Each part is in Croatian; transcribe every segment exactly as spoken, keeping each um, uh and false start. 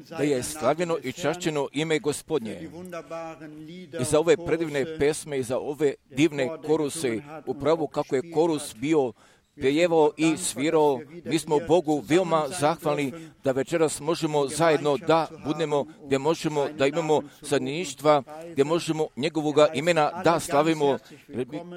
Da je slavljeno i čašćeno ime Gospodnje i za ove predivne pesme i za ove divne koruse, upravo kako je korus bio pjevao i svirao. Mi smo Bogu veoma zahvalni da večeras možemo zajedno da budemo, gdje možemo da imamo zajedništva, gdje možemo njegovoga imena da slavimo.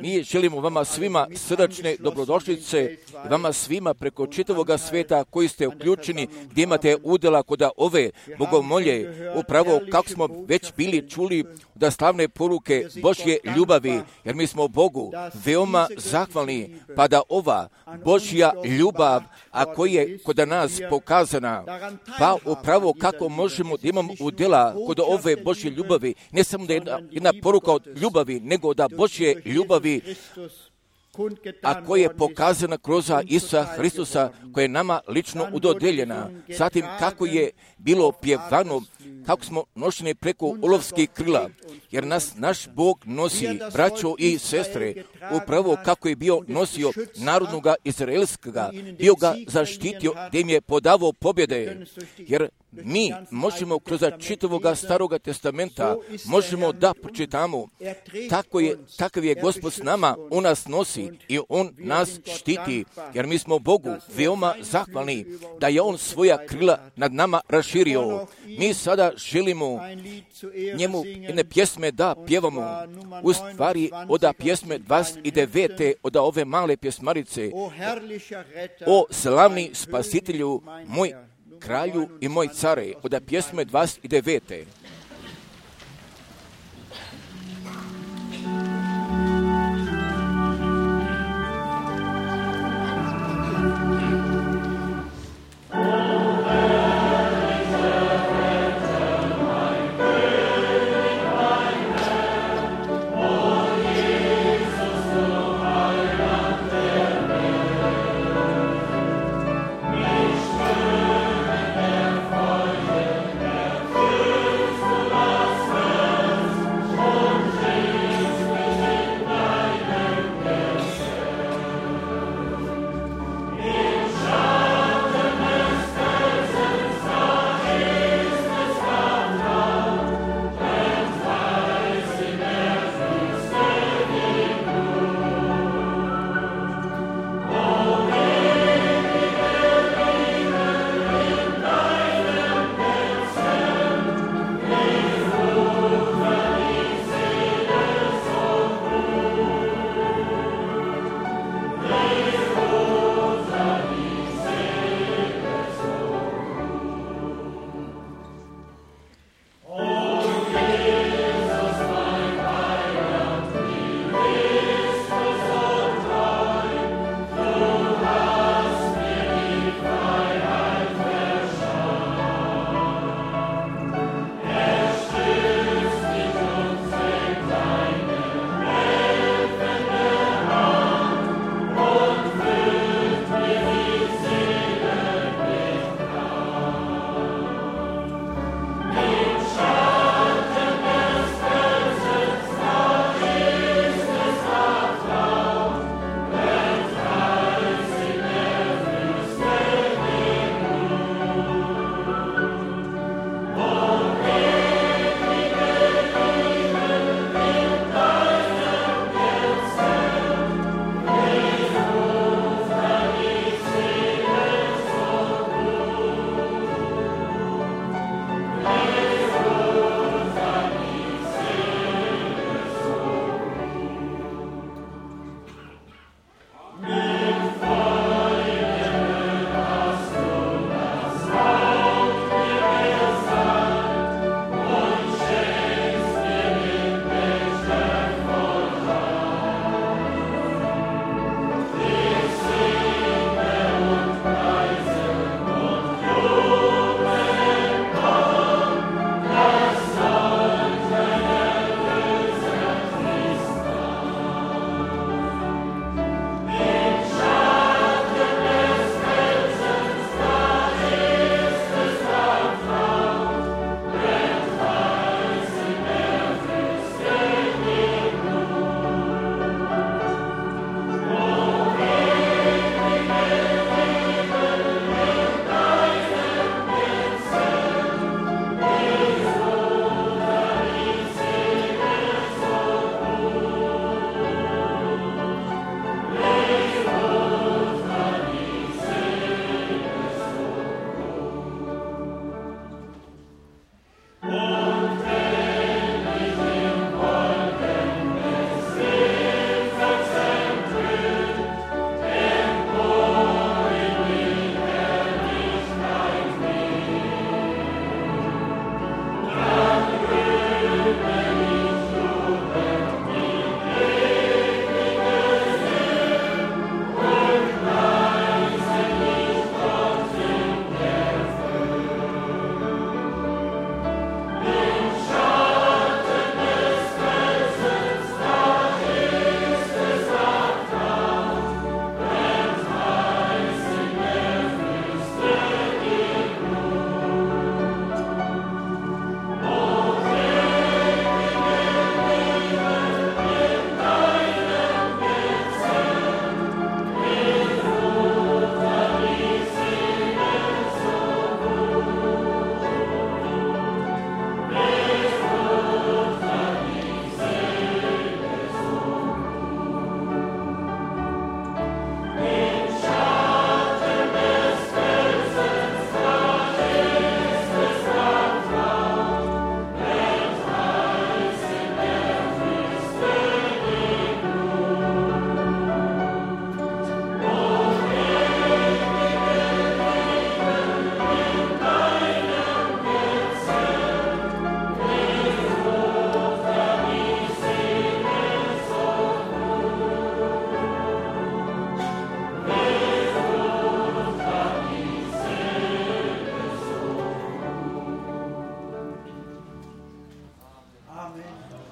Mi želimo vama svima srdačne dobrodošlice, vama svima preko čitavoga sveta koji ste uključeni, gdje imate udjela kod ove bogomolje, upravo kako smo već bili čuli da slavne poruke Božje ljubavi, jer mi smo Bogu veoma zahvalni, pa da ova Božja ljubav, a koja je kod nas pokazana, pa upravo kako možemo da imamo udjela kod ove Božje ljubavi, ne samo da je jedna, jedna poruka od ljubavi, nego da Božje ljubavi, a koja je pokazana kroz Isusa Hristusa, koja je nama lično udodeljena. Zatim kako je bilo pjevano, kako smo nošeni preko olovskih krila, jer nas naš Bog nosi, braćo i sestre, upravo kako je bio nosio narodnoga izraelskoga, bio ga zaštitio, gdje im je podavao pobjede, jer mi možemo kroz čitavoga Staroga testamenta možemo da pročitamo tako je, takav je Gospod s nama, On nas nosi i On nas štiti, jer mi smo Bogu veoma zahvalni da je On svoja krila nad nama raširio. Mi sada želimo njemu jedne pjesme da pjevamo, u stvari od pjesme dvadeset devete od ove male pjesmarice, o slavni spasitelju moj, kralju i moj care, od pjesme dvadeset devete.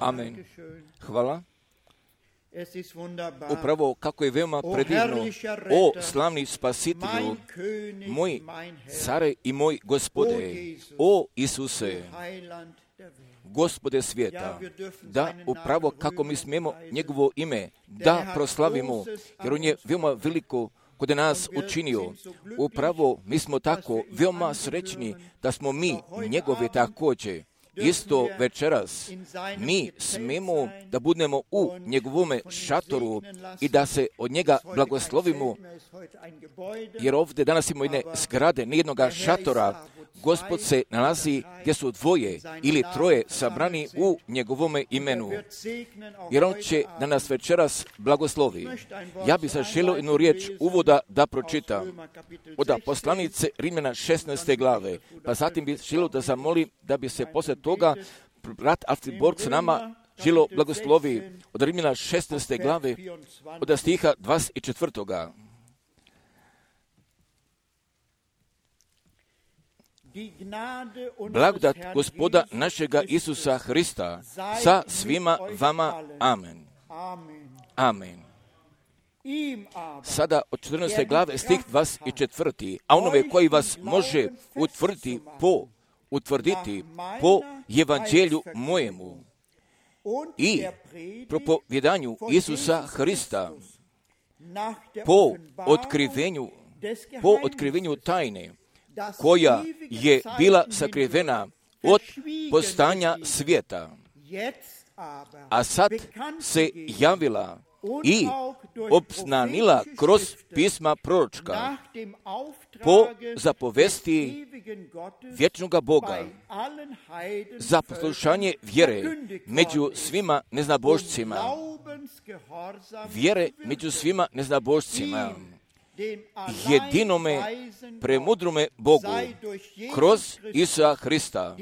Amen. Hvala. Upravo kako je veoma predivno, o slavni spasitelju, moj care i moj Gospode, o Isuse, Gospode svijeta, da upravo kako mi smijemo njegovo ime da proslavimo, jer on je veoma veliko kod nas učinio. Upravo mi smo tako veoma srećni da smo mi njegove također. Isto večeras mi smemo da budemo u njegovome šatoru i da se od njega blagoslovimo, jer ovdje danas imamo jedne zgrade, nijednoga šatora. Gospod se nalazi gdje su dvoje ili troje sabrani u njegovome imenu, jer on će da nas večeras blagoslovi. Ja bih zaželio jednu riječ uvoda da pročitam od poslanice Rimljana šesnaeste glave, pa zatim bih želio da zamolim da bi se poslije toga brat Alfred Borg s nama želio blagoslovi od Rimljana šesnaeste glave od stiha dvadeset četvrtoga. Blagodat Gospoda našega Isusa Hrista sa svima vama. Amen. Amen. Sada od četrnaeste glave stih dvadeset četvrti. A onome koji vas može utvrditi po, utvrditi po evanđelju mojemu i propovjedanju Isusa Hrista po otkrivenju, po otkrivenju tajne koja je bila sakrivena od postanja svijeta, a sad se javila i obznanila kroz pisma proročka po zapovesti vječnoga Boga za poslušanje vjere među svima neznabošcima. Vjere među svima neznabošcima. Jedinome premudrome Bogu kroz Isusa Hrista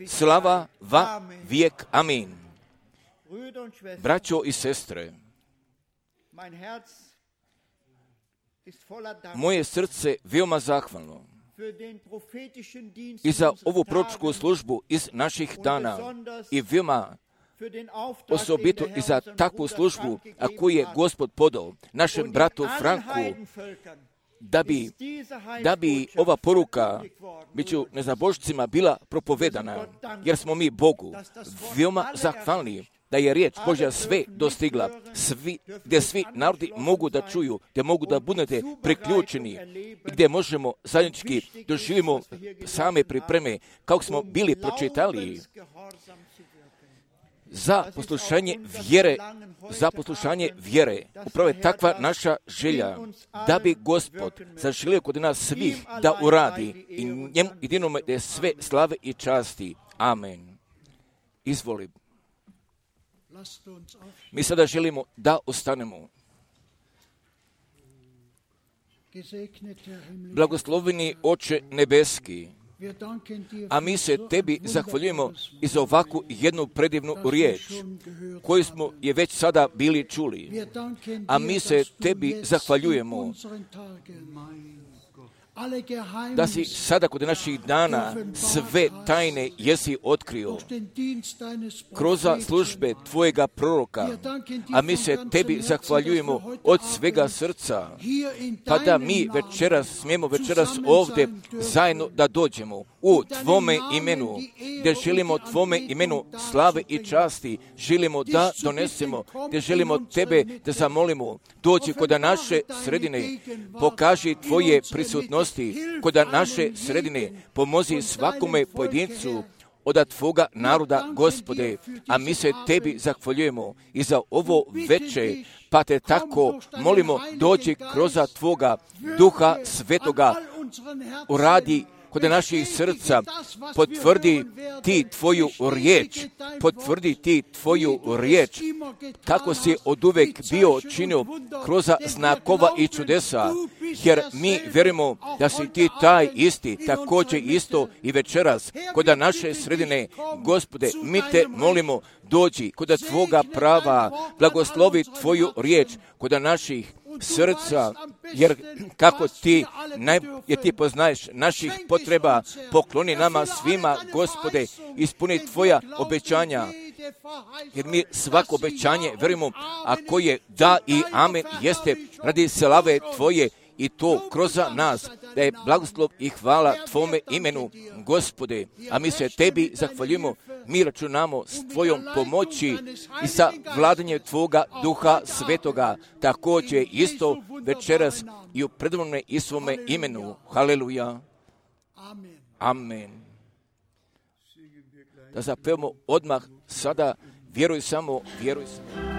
slava va vijek. Amin. Braćo i sestre, moje srce veoma zahvalno i za ovu proročku službu iz naših dana i veoma osobito i za takvu službu, a koju je Gospod podao našem bratu Franku, da bi, da bi ova poruka među neznabošcima bila propovedana, jer smo mi Bogu veoma zahvalni da je riječ Božja sve dostigla, svi, gdje svi narodi mogu da čuju, gdje mogu da budete priključeni i gdje možemo zajednički doživimo same pripreme, kako smo bili pročitali, za poslušanje vjere, za poslušanje vjere. Upravo je takva naša želja, da bi Gospod zaželio kod nas svih da uradi i njemu jedinome da je sve slave i časti. Amen. Izvoli. Mi sada želimo da ostanemo. Blagosloveni Oče nebeski, a mi se tebi zahvaljujemo i za ovakvu jednu predivnu riječ koju smo je već sada bili čuli. A mi se tebi zahvaljujemo da si sada kod naših dana sve tajne jesi otkrio kroz službe tvojega proroka, a mi se tebi zahvaljujemo od svega srca, pa da mi večeras smijemo večeras ovdje zajedno da dođemo u tvome imenu, gdje želimo tvome imenu slave i časti, želimo da donesemo, gdje želimo tebe da zamolimo, dođi kod naše sredine, pokaži tvoje prisutnosti kod naše sredine, pomozi svakome pojedincu od tvoga naroda, Gospode, a mi se tebi zahvaljujemo i za ovo veče, pa te tako molimo, dođi kroz tvoga Duha Svetoga, uradi kod naših srca, potvrdi ti tvoju riječ, potvrdi ti tvoju riječ, kako si oduvek bio činio kroz znakova i čudesa, jer mi vjerujemo da si ti taj isti, također isto i večeras, kod naše sredine, Gospode, mi te molimo, dođi kod tvoga prava, blagoslovi tvoju riječ, kod naših srca, jer kako ti, naj, jer ti poznaješ naših potreba, pokloni nama svima, Gospode, ispuni tvoja obećanja, jer mi svako obećanje verujemo, a koje da i amen jeste radi slave tvoje i to kroz nas, da je blagoslov i hvala tvome imenu, Gospode, a mi se tebi zahvaljujemo, mi računamo s tvojom pomoći i sa vladanjem tvoga duha svetoga, također isto večeras i u predivnome i svome imenu. Haleluja. Amen. Da zapevamo odmah sada, vjeruj samo, vjeruj samo.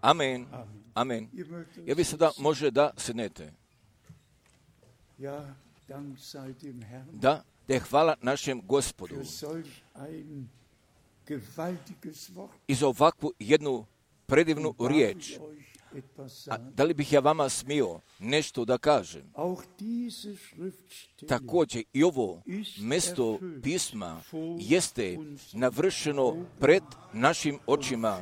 Amen. Amen. Ja vi sada može da sednete. Da, da je hvala našem Gospodu i za ovakvu jednu predivnu riječ. A da li bih ja vama smio nešto da kažem? Također i ovo mjesto pisma jeste navršeno pred našim očima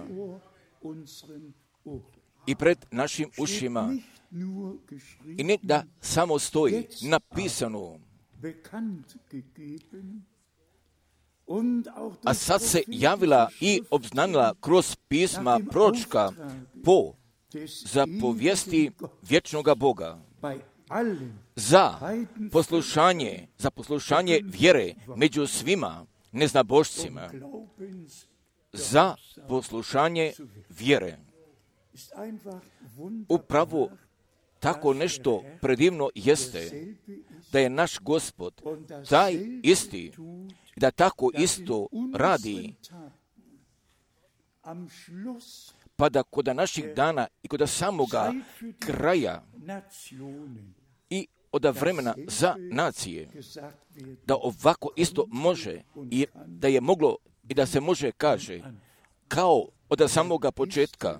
i pred našim ušima. I ne da samo stoji napisano, a sad se javila i obznanila kroz pisma proročka po zapovijesti vječnoga Boga za poslušanje, za poslušanje vjere među svima neznabošcima, za poslušanje vjere. Upravo tako nešto predivno jeste da je naš Gospod taj isti, da tako isto radi, pa da kod naših dana i kod samoga kraja i od vremena za nacije, da ovako isto može i da je moglo i da se može kaže, kao od samoga početka,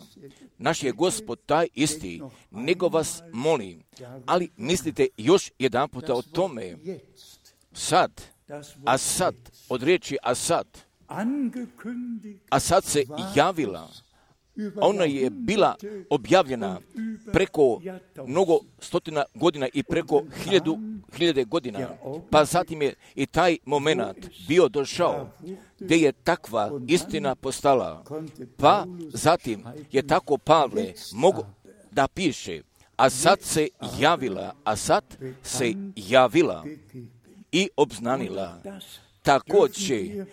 naš je Gospod taj isti, nego vas molim, ali mislite još jedan puta o tome, sad, a sad, od riječi a sad, a sad se javila, ona je bila objavljena preko mnogo stotina godina i preko hiljadu, hiljade godina, pa zatim je i taj moment bio došao gdje je takva istina postala, pa zatim je tako Pavle mogu da piše, a sad se javila, a sad se javila i obznanila. Također,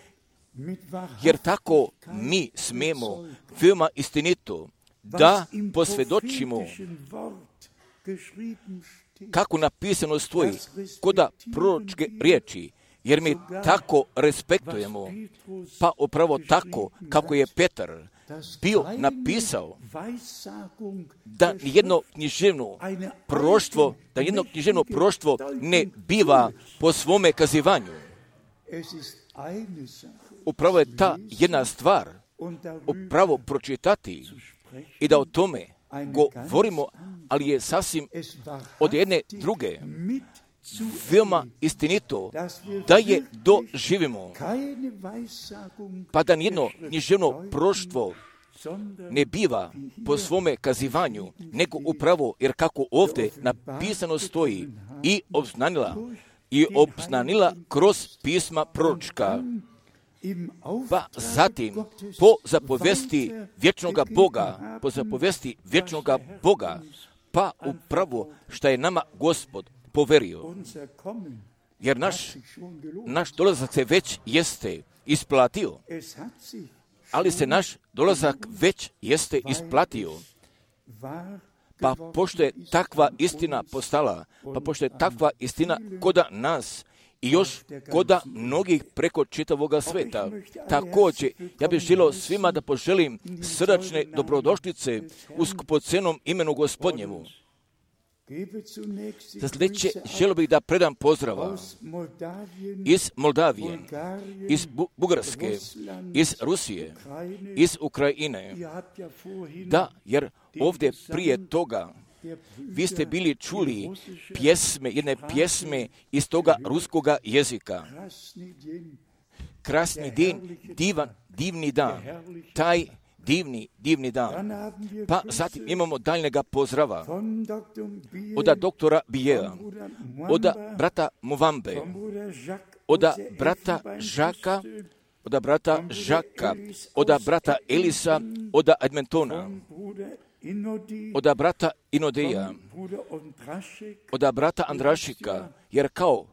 jer tako mi smemo veoma istinito da posvjedočimo kako napisano stoji koda proročke riječi, jer mi tako respektujemo, pa upravo tako kako je Petar bio napisao da nijedno književno proroštvo, da nijedno književno proroštvo ne biva po svome kazivanju. Upravo je ta jedna stvar, upravo pročitati i da o tome govorimo, ali je sasvim od jedne druge veoma istinito da je doživimo, pa da nijedno književno proroštvo ne biva po svome kazivanju, nego upravo, jer kako ovdje napisano stoji, i obznanila, i obznanila kroz pisma proročka, pa zatim po zapovesti vječnoga Boga, po zapovesti vječnoga Boga, pa upravo što je nama Gospod poverio. Jer naš, naš dolazak se već jeste isplatio, ali se naš dolazak već jeste isplatio. Pa pošto je takva istina postala, pa pošto je takva istina koda nas i još koda mnogih preko čitavoga sveta. Također, ja bih želio svima da poželim srdačne dobrodošlice u skupocenom imenu Gospodnjemu. Za sljedeće želio bih da predam pozdrava iz Moldavije, iz Bugarske, iz Rusije, iz Ukrajine. Da, jer ovdje prije toga vi ste bili čuli pjesme, jedne pjesme iz toga ruskoga jezika. Krasni din, divan, divni dan, taj divni, divni dan. Pa zatim imamo daljnjega pozdrava od doktora Bijea, od brata Movambe, od brata Žaka, od brata Žaka, od brata Elisa, od Edmontona, od brata Inodeja, od brata Andrašika, jer kao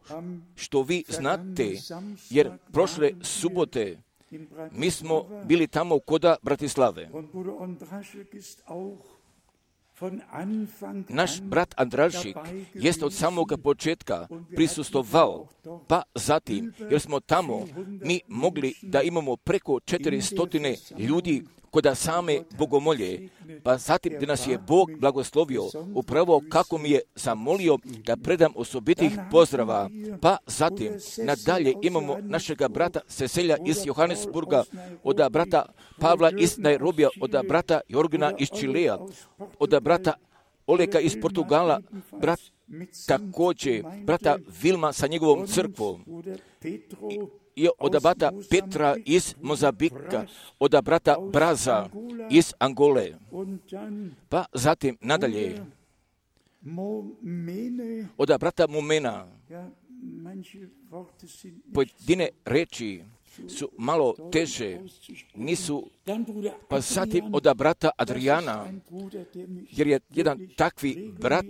što vi znate, jer prošle subote mi smo bili tamo koda Bratislave. Naš brat Andrašik jest od samoga početka prisustvovao, pa zatim, jer smo tamo mi mogli da imamo preko četiristo ljudi koda same bogomolje, pa zatim da nas je Bog blagoslovio, upravo kako mi je zamolio da predam osobitih pozdrava, pa zatim nadalje imamo našega brata Seselja iz Johannesburga, od brata Pavla iz Nairobija, od brata Jorgina iz Čilea, od brata Oleka iz Portugala, brat također brata Vilma sa njegovom crkvom, i od brata Petra iz Mozambika, od brata Braza iz Angole. Pa zatim nadalje od brata Mumena. Pojedine reči su malo teže, nisu, pa zatim od brata Adriana, jer je jedan takvi brat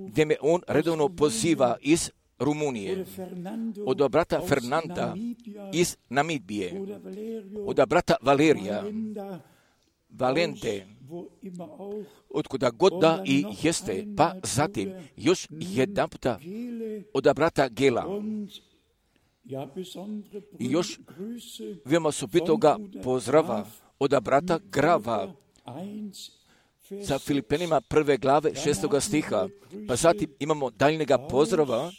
gdje me on redovno poziva iz Rumunije, od brata Fernanda iz Namibije, od brata Valerija, Valente, otkuda god da i jeste, pa zatim još jedan puta od brata Gela. I još veoma osobitoga pozdrava od brata Grava sa Filipenima prve glave šestoga stiha, pa zatim imamo daljnjega pozdrava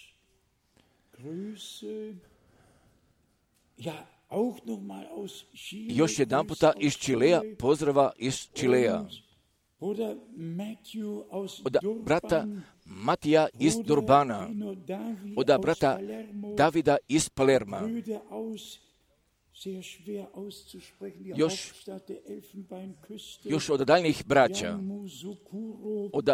još jedan puta iz Čilea, pozdrava iz Čilea, od brata Matija iz Durbana, od brata Davida iz Palerma, još, još od daljnjih braća, od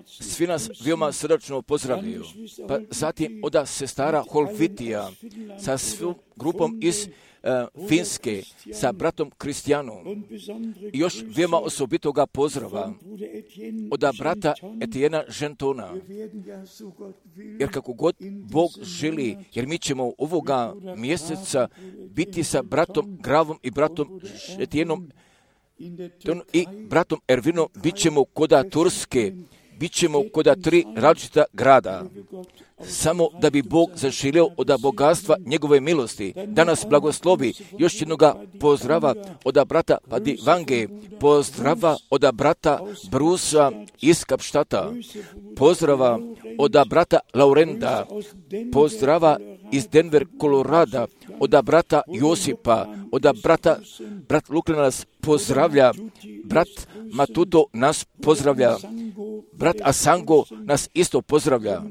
svi nas veoma srdačno pozdravljaju. Pa zatim od sestara Holvitija sa svojom grupom iz uh, Finske, sa bratom Kristijanom. I još veoma osobitoga pozdrava od brata Etijena Žentona. Jer kako god Bog želi, jer mi ćemo ovoga mjeseca biti sa bratom Gravom i bratom Etijenom i bratom Ervinom, bit ćemo koda Turske, bit ćemo koda tri različita grada, samo da bi Bog zaželio od bogatstva njegove milosti. Danas blagoslovi još jednoga pozdrava od brata Padivange, pozdrava od brata Brusa iz Kapštata, pozdrava od brata Laurenda, pozdrava iz Denver, Kolorada, od brata Josipa, od brata, brat Luklina nas pozdravlja, brat Matuto nas pozdravlja, brat Asango nas isto pozdravlja.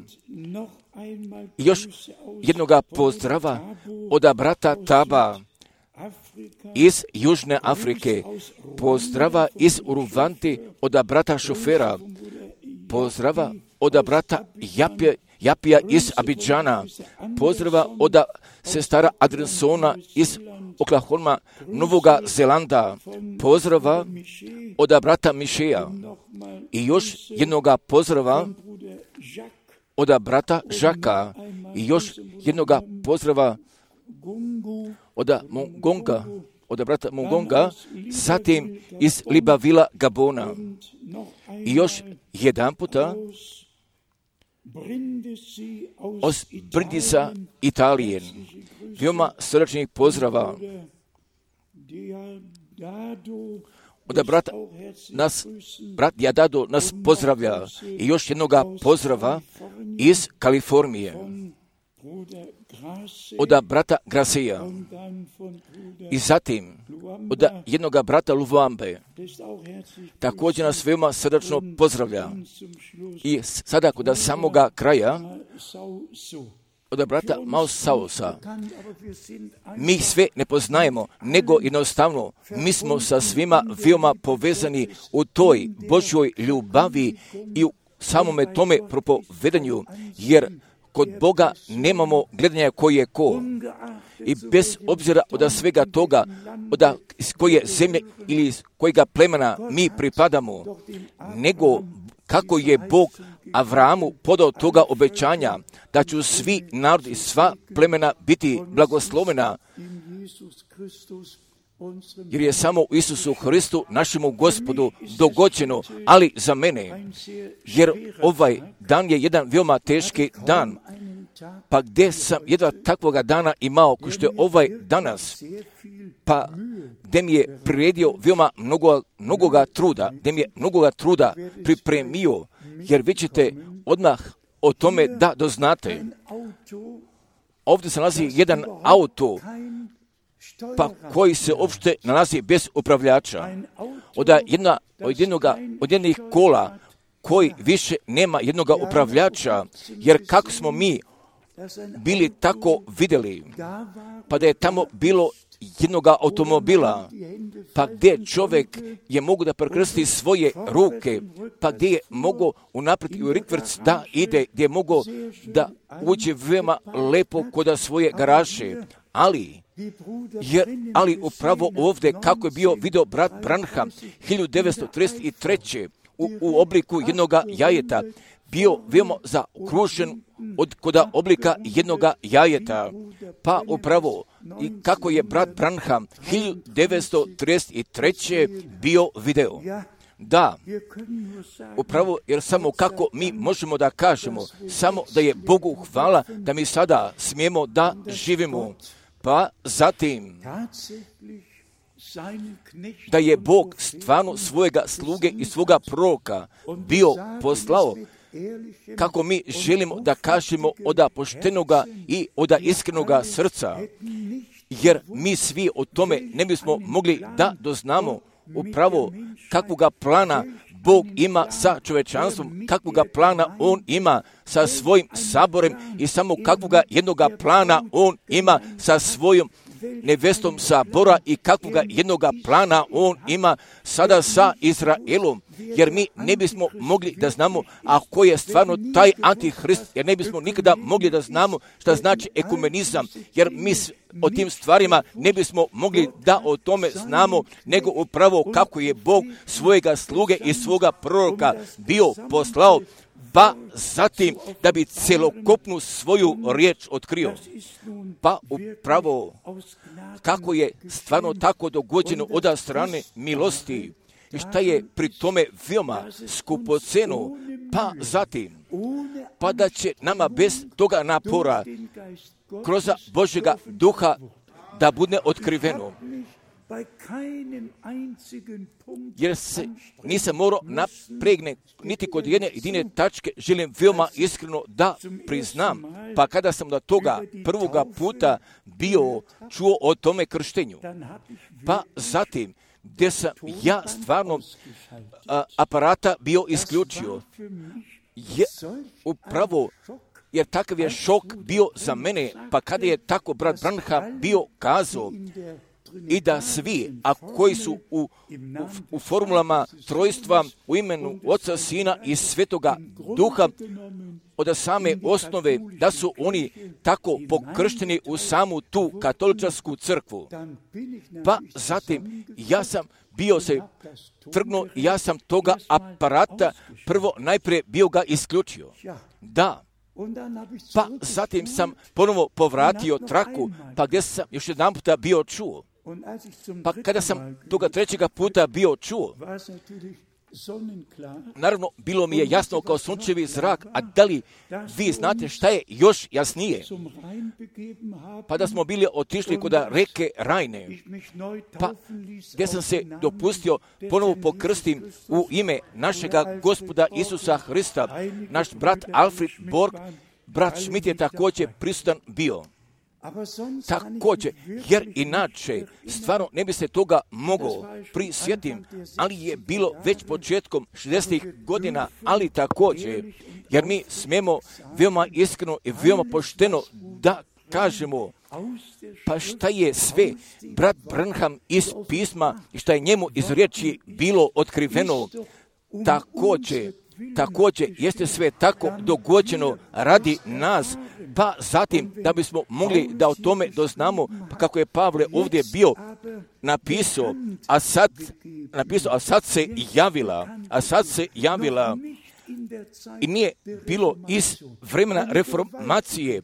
I još jednoga pozdrava od brata Taba, iz Južne Afrike, pozdrava iz Uruvanti od brata šofera, pozdrava od brata Japija, Japija iz Abidžana, pozdrava od sestara Adrensona iz Oklahoma, Novoga Zelanda, pozdrava od brata Mišeja i još jednoga pozdrava od brata Žaka i još jednoga pozdrava od Mongonga, od brata Mongonga, zatim iz Libavila, Gabona. I još jedan puta od Brindisa, Italije. Veoma srdačnih pozdrava od brata nas, brat Jadado nas pozdravlja i još jednoga pozdrava iz Kalifornije od brata Graseja i zatim od jednoga brata Luvambe. Također nas veoma srdačno pozdravlja. I sada kod samoga kraja od brata Mausausa. Mi sve ne poznajemo, nego jednostavno mi smo sa svima veoma povezani u toj Božjoj ljubavi i u samome tome propovedanju, jer kod Boga nemamo gledanja koji je ko. I bez obzira od svega toga, od iz koje zemlje ili iz kojega plemena mi pripadamo, nego kako je Bog Avramu podao toga obećanja, da će svi narodi i sva plemena biti blagoslovena, jer je samo u Isusu Hristu, našemu Gospodu, dogođeno, ali za mene, jer ovaj dan je jedan veoma teški dan, pa gdje sam jedva takvoga dana imao, ko što je ovaj danas, pa gdje mi je priredio veoma mnogo, mnogoga truda, gdje mi je mnogoga truda pripremio, jer vi ćete odmah o tome da doznate. Ovdje se nalazi jedan auto, pa koji se uopšte nalazi bez upravljača. Od, jedna, od, jednoga, od jednih kola koji više nema jednoga upravljača, jer kako smo mi bili tako vidjeli, pa da je tamo bilo jednoga automobila, pa gdje čovjek je mogu da prekrsti svoje ruke, pa gdje je mogo unaprijed i u rikvrc da ide, gdje je mogo da uđe veoma lepo kod svoje garaže, ali jer, ali upravo ovdje kako je bio video brat Branham hiljadu devetsto trideset treće u, u obliku jednoga jajeta, bio veoma zaokružen od koda oblika jednoga jajeta. Pa upravo i kako je brat Branham hiljadu devetsto trideset treće bio video. Da, upravo jer samo kako mi možemo da kažemo, samo da je Bogu hvala da mi sada smijemo da živimo. Pa zatim da je Bog stvarno svojega sluge i svoga proroka bio poslao, kako mi želimo da kažemo od poštenoga i od iskrenoga srca, jer mi svi o tome ne bismo mogli da doznamo upravo kakvoga plana Bog ima sa čovečanstvom, kakvoga plana On ima sa svojim saborem i samo kakvoga jednoga plana On ima sa svojom nevestom Sabora i kakvoga jednoga plana On ima sada sa Izraelom, jer mi ne bismo mogli da znamo ako je stvarno taj antihrist, jer ne bismo nikada mogli da znamo šta znači ekumenizam, jer mi o tim stvarima ne bismo mogli da o tome znamo, nego upravo kako je Bog svojega sluge i svoga proroka bio poslao, pa zatim da bi celokupnu svoju riječ otkrio. Pa upravo kako je stvarno tako dogođeno od strane milosti i šta je pri tome veoma skupoceno, pa zatim pa da će nama bez toga napora kroz Božjega duha da bude otkriveno. Jer se nisam morao napregne niti kod jedne jedine tačke, želim veoma iskreno da priznam, pa kada sam do toga prvoga puta bio čuo o tome krštenju, pa zatim gdje sam ja stvarno a, aparata bio isključio, je upravo jer takav je šok bio za mene, pa kada je tako brat Branham bio kazao i da svi, a koji su u, u, u formulama trojstva u imenu Oca, Sina i Svetoga Duha, od same osnove, da su oni tako pokršteni u samu tu katoličarsku crkvu. Pa zatim, ja sam bio se trgnuo, ja sam toga aparata prvo najprije bio ga isključio. Da. Pa zatim sam ponovo povratio traku, pa gdje sam još jedan puta bio čuo. Pa kada sam toga trećega puta bio čuo, naravno, bilo mi je jasno kao sunčevi zrak, a da li vi znate šta je još jasnije? Pa da smo bili otišli kod reke Rajne, pa gdje sam se dopustio ponovo pokrstim u ime našega Gospoda Isusa Hrista. Naš brat Alfred Borg, brat Schmidt je također prisutan bio. Također, jer inače stvarno ne bi se toga moglo prisjetim, ali je bilo već početkom šezdesetih godina, ali također, jer mi smijemo veoma iskreno i veoma pošteno da kažemo, pa šta je sve brat Branham iz pisma i šta je njemu iz riječi bilo otkriveno, također, također jeste sve tako dogođeno radi nas, pa zatim da bismo mogli da o tome doznamo, pa kako je Pavle ovdje bio napisao, a sad, napisao, a sad se javila, a sad se javila i nije bilo iz vremena reformacije,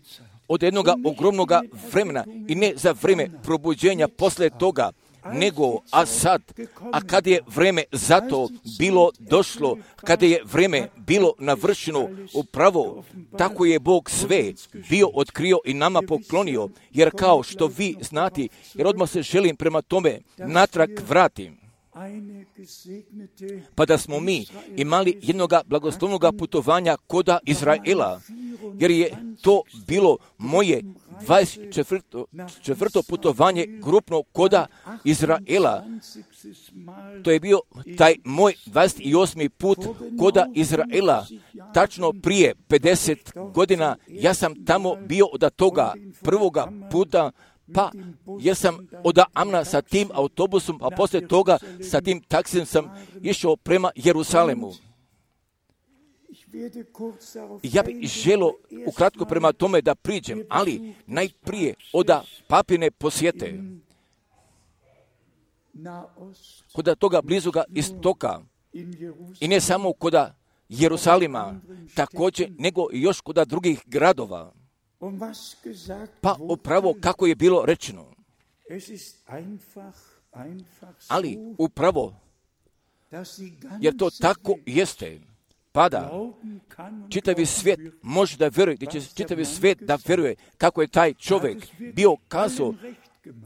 od jednog ogromnog vremena i ne za vrijeme probuđenja posle toga, nego, a sad, a kad je vrijeme za to bilo došlo, kada je vrijeme bilo navršeno upravo, tako je Bog sve bio otkrio i nama poklonio, jer kao što vi znate, jer odmah se želim prema tome natrag vratim, pa da smo mi imali jednog blagoslovnog putovanja koda Izraela, jer je to bilo moje dvadeset četvrto putovanje grupno koda Izraela. To je bio taj moj dvadeset osmi put koda Izraela. Tačno prije pedeset godina ja sam tamo bio od toga prvoga puta, pa jer sam od Amna sa tim autobusom, a poslije toga sa tim taksijem sam išao prema Jerusalemu. Ja bih želio ukratko prema tome da priđem, ali najprije od papine posjete, kod toga blizoga istoka, i ne samo kod Jerusalima, također, nego još kod drugih gradova. Pa upravo kako je bilo rečeno. Ali upravo, jer to tako jeste, pada, čitavi svijet može da vjeruje, da će čitavi svijet da vjeruje kako je taj čovjek bio kazao,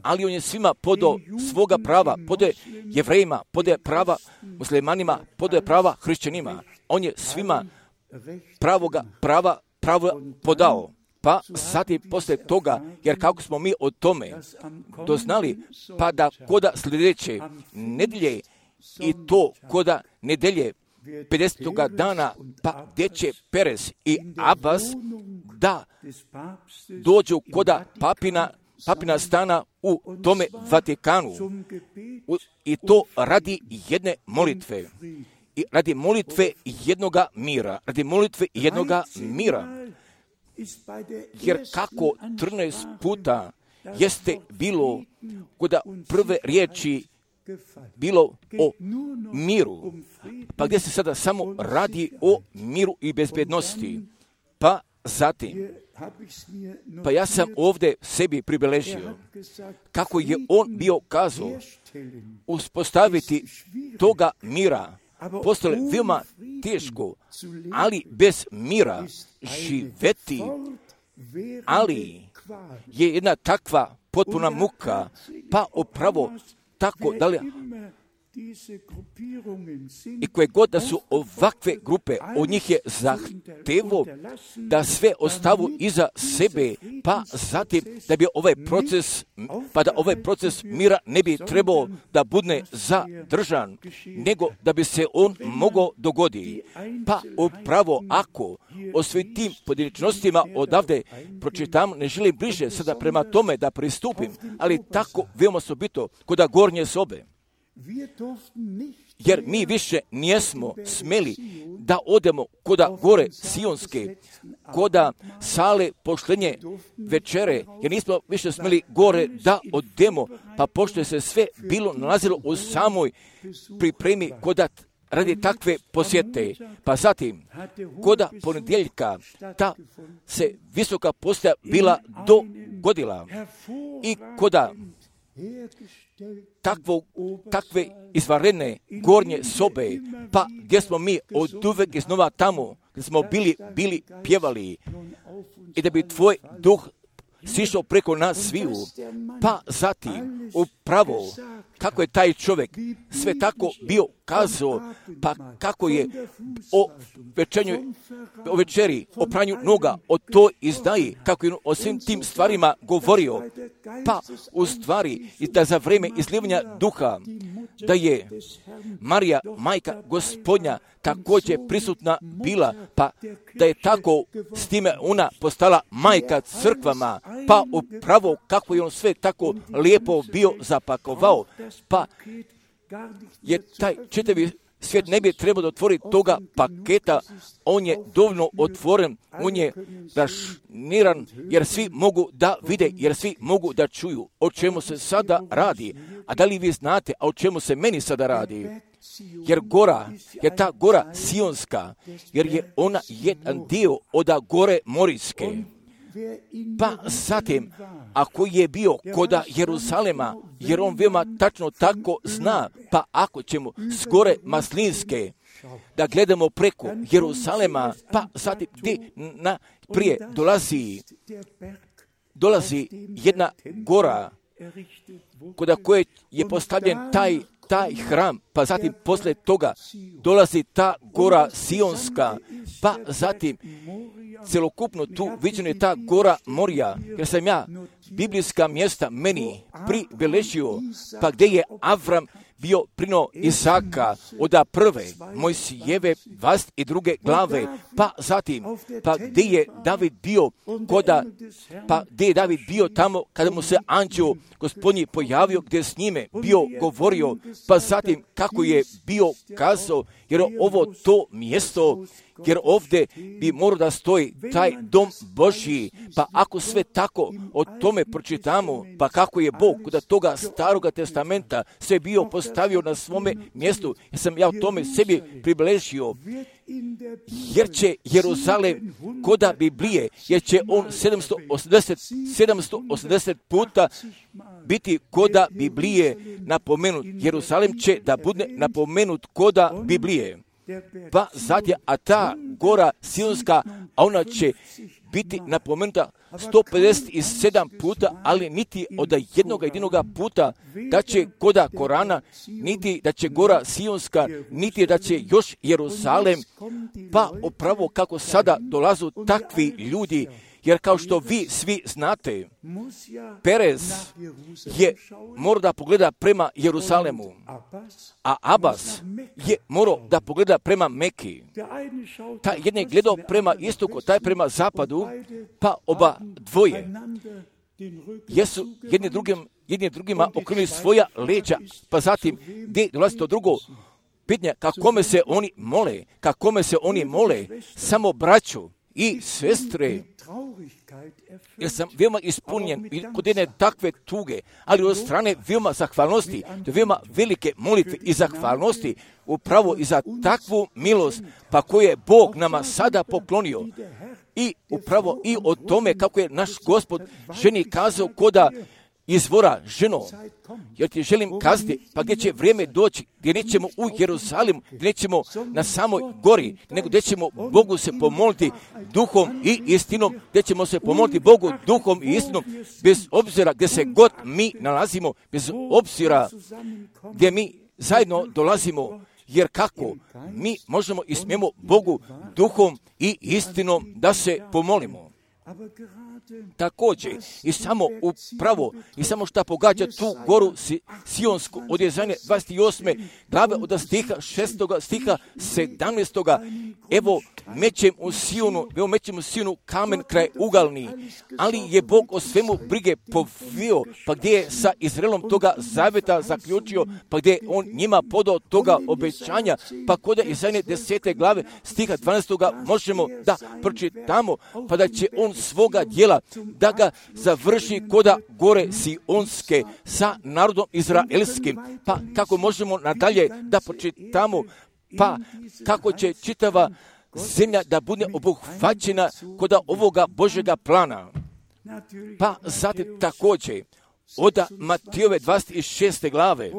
ali on je svima podao svoga prava, podaje Jevrejima, podaje prava muslimanima, podaje prava hrišćanima. On je svima pravoga prava, pravo podao. Pa sad i poslije toga, jer kako smo mi o tome doznali, pa da koda sljedeće nedelje i to koda nedelje pedesetoga dana, pa gdje će Perez i Abbas da dođu koda papina, papina stana u tome Vatikanu. U, I to radi jedne molitve. I radi molitve jednoga mira. Radi molitve jednoga mira. Jer kako trinaest puta jeste bilo kod prve riječi bilo o miru, pa gdje se sada samo radi o miru i bezbednosti. Pa zatim, pa ja sam ovdje sebi pribeležio kako je on bio kazao uspostaviti toga mira. Postale veoma teško, ali bez mira živeti, ali je jedna takva potpuna muka, pa upravo tako da li, i koje god da su ovakve grupe, od njih je zahtevo da sve ostavu iza sebe, pa zatim da bi ovaj proces, pa da ovaj proces mira ne bi trebao da bude zadržan, nego da bi se on mogao dogoditi. Pa upravo ako o svim tim pojedinačnostima odavde pročitam, ne želim bliže sada prema tome da pristupim, ali tako veoma osobito kod gornje sobe. Jer mi više nijesmo smeli da odemo koda gore Sionske, koda sale poštenje večere, jer nismo više smeli gore da odemo, pa pošto je se sve bilo nalazilo u samoj pripremi koda radi takve posjete. Pa zatim, koda ponedjeljka, ta se visoka postaja bila dogodila i koda Takvo, takve izvanredne gornje sobe, pa gdje smo mi od uvek iznova tamo, gdje smo bili, bili pjevali i da bi tvoj duh sišao preko nas sviju, pa zatim upravo kako je taj čovjek sve tako bio kazao, pa kako je o večernju, o večeri, o pranju noga, o toj izdaji, kako je o svim tim stvarima govorio, pa u stvari i da za vrijeme izlivanja duha, da je Marija, majka Gospodnja, također prisutna bila, pa da je tako s time ona postala majka crkvama, pa upravo kako je on sve tako lijepo bio zapakovao, pa je taj čitavi svijet ne bi trebao da otvori toga paketa, on je dovoljno otvoren, on je rašniran, jer svi mogu da vide, jer svi mogu da čuju o čemu se sada radi. A da li vi znate, a o čemu se meni sada radi? Jer gora, jer ta gora Sionska, jer je ona jedan dio od gore Morijske. Pa zatim, ako je bio koda Jeruzalema, jer on veoma tačno tako zna, pa ako ćemo s gore Maslinske da gledamo preko Jeruzalema, pa zatim gdje na prije dolazi, dolazi jedna gora koda koje je postavljen taj taj hram, pa zatim posle toga dolazi ta gora Sionska, pa zatim celokupno tu viđena je ta gora Morija, jer sam ja biblijska mjesta meni pribeležio, pa gdje je Avram bio prino Isaka od prve Mojsijeve dvadeset druge glave, pa zatim, pa gdje je David bio koda, pa gdje je David bio tamo kada mu se anđeo Gospodnji pojavio, gdje je s njime bio govorio, pa zatim kako je bio kazao, jer ovo to mjesto, jer ovdje bi morao da stoji taj dom Božji, pa ako sve tako o tome pročitamo, pa kako je Bog kod toga staroga testamenta sve bio postavio na svome mjestu, jer sam ja o tome sebi približio, jer će Jeruzalem koda Biblije, jer će on sedamsto osamdeset puta biti koda Biblije napomenut. Jeruzalem će da bude napomenut koda Biblije. Pa zatim, a ta gora Sionska, a ona će biti napomenuta sto pedeset sedam puta, ali niti od jednog jedinoga puta da će koda Korana, niti da će gora Sionska, niti da će još Jeruzalem, pa upravo kako sada dolazu takvi ljudi, jer kao što vi svi znate, Perez je morao da pogleda prema Jeruzalemu, a Abas je morao da pogleda prema Meki. Taj jedan je gledao prema istoku, taj prema zapadu, pa oba dvoje jesu jedni drugim, jedni drugima okrenuli svoja leđa, pa zatim gdje dolazi to drugo pitanje, kakome se oni mole, kakome se oni mole, samo braću i sestre, jer sam veoma ispunjen kod jedne takve tuge, ali od strane veoma zahvalnosti, to veoma velike molitve i zahvalnosti upravo i za takvu milost, pa koju je Bog nama sada poklonio. I upravo i o tome kako je naš Gospod ženi kazao koda izvora, ženo, jer ti želim kazati, pa gdje će vrijeme doći, gdje nećemo u Jeruzalemu, gdje nećemo na samoj gori, nego gdje ćemo Bogu se pomoliti duhom i istinom, gdje ćemo se pomoliti Bogu duhom i istinom, bez obzira gdje se god mi nalazimo, bez obzira gdje mi zajedno dolazimo, jer kako mi možemo i smijemo Bogu duhom i istinom da se pomolimo. Također, i samo upravo, i samo šta pogađa tu goru si, Sionsku od Jezanje dvadeset osme glave od stiha šestoga stiha sedamnaestoga evo mećem u Sionu, evo mećem u Sionu kamen kraj ugalni, ali je Bog o svemu brige povio, pa gdje je sa Izraelom toga zaveta zaključio, pa gdje je on njima podao toga obećanja, pa kod Jezanje desete glave stiha dvanaestoga možemo da pročitamo, pa da će on svoga djela da ga završi koda gore Sionske sa narodom izraelskim. Pa kako možemo nadalje da pročitamo, pa kako će čitava zemlja da bude obuhvaćena koda ovoga Božjega plana. Pa zatim također od Matijove dvadeset šeste glave,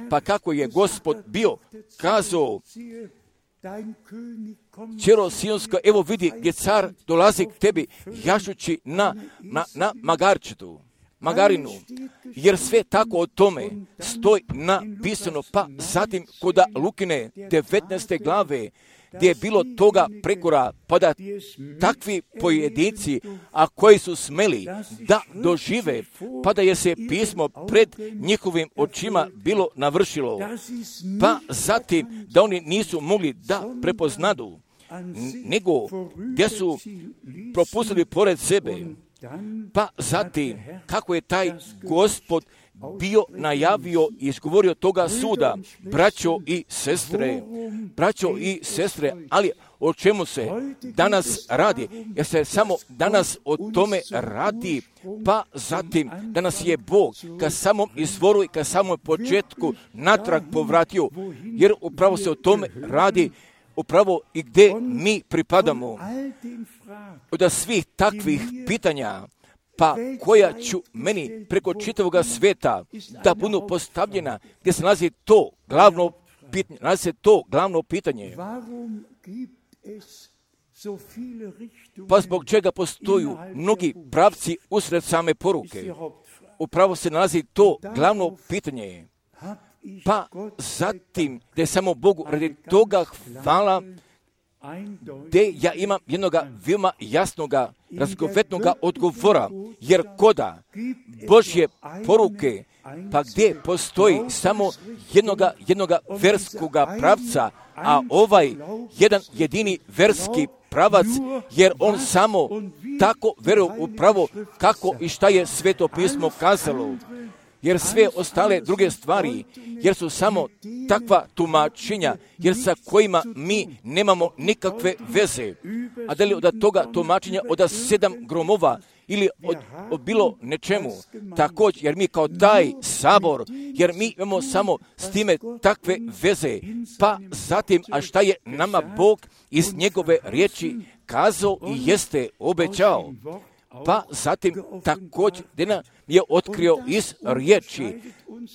pa kako je Gospod bio kazao, Čero Sionska, evo vidi gdje car dolazi k tebi jašući na, na, na magarčetu, magarinu, jer sve tako o tome stoji napisano, pa zatim koda Lukine devetnaeste glave, gdje je bilo toga prekora, pa da takvi pojedinci, a koji su smeli da dožive, pa da je se pismo pred njihovim očima bilo navršilo, pa zatim da oni nisu mogli da prepoznadu, nego gdje su propustili pored sebe, pa zatim kako je taj Gospod bio najavio i izgovorio toga suda, braćo i sestre, braćo i sestre, ali o čemu se danas radi? Jer se samo danas o tome radi, pa zatim danas je Bog ka samom izvoru i ka samom početku natrag povratio, jer upravo se o tome radi, upravo i gdje mi pripadamo. Od svih takvih pitanja, pa koja ću meni preko čitavoga sveta da budu postavljena, gdje se nalazi to glavno pitanje, nalazi se to glavno pitanje. Pa zbog čega postoju mnogi pravci usred same poruke? Upravo se nalazi to glavno pitanje. Pa zatim, gdje samo Bogu radi toga hvala, gdje ja imam jednoga veoma jasnoga, razgovetnoga odgovora, jer koda Božje poruke, pa gdje postoji samo jednoga, jednoga verskoga pravca, a ovaj jedan jedini verski pravac, jer on samo tako veruje upravo kako i šta je Sveto pismo kazalo. Jer sve ostale druge stvari, jer su samo takva tumačenja, jer sa kojima mi nemamo nikakve veze. A da li od toga tumačenja od sedam gromova ili od, od bilo nečemu, također, jer mi kao taj sabor, jer mi imamo samo s time takve veze, pa zatim, a šta je nama Bog iz njegove riječi kazao i jeste obećao. Pa zatim također gdje nam je otkrio iz riječi,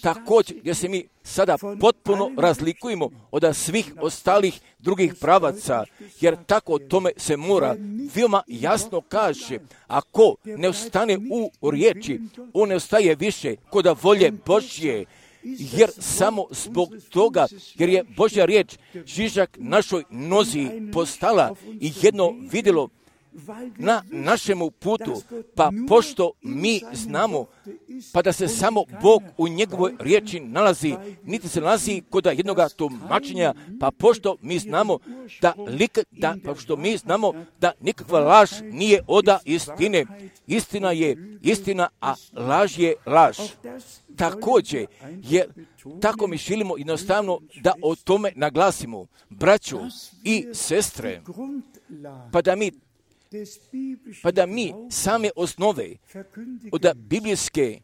također gdje se mi sada potpuno razlikujemo od svih ostalih drugih pravaca, jer tako o tome se mora veoma jasno kaže, ako ne ostane u riječi, on ne ostaje više kod volje Božje, jer samo zbog toga, jer je Božja riječ žižak našoj nozi postala i jedno vidjelo na našemu putu, pa pošto mi znamo, pa da se samo Bog u njegovoj riječi nalazi, niti se nalazi kod jednoga tumačenja, pa pošto mi znamo da, lik, da pa što mi znamo da nikakva laž nije oda istine, istina je istina, a laž je laž. Također, jer tako mi želimo jednostavno da o tome naglasimo, braćo i sestre, pa da mi pa da mi same osnove od biblijske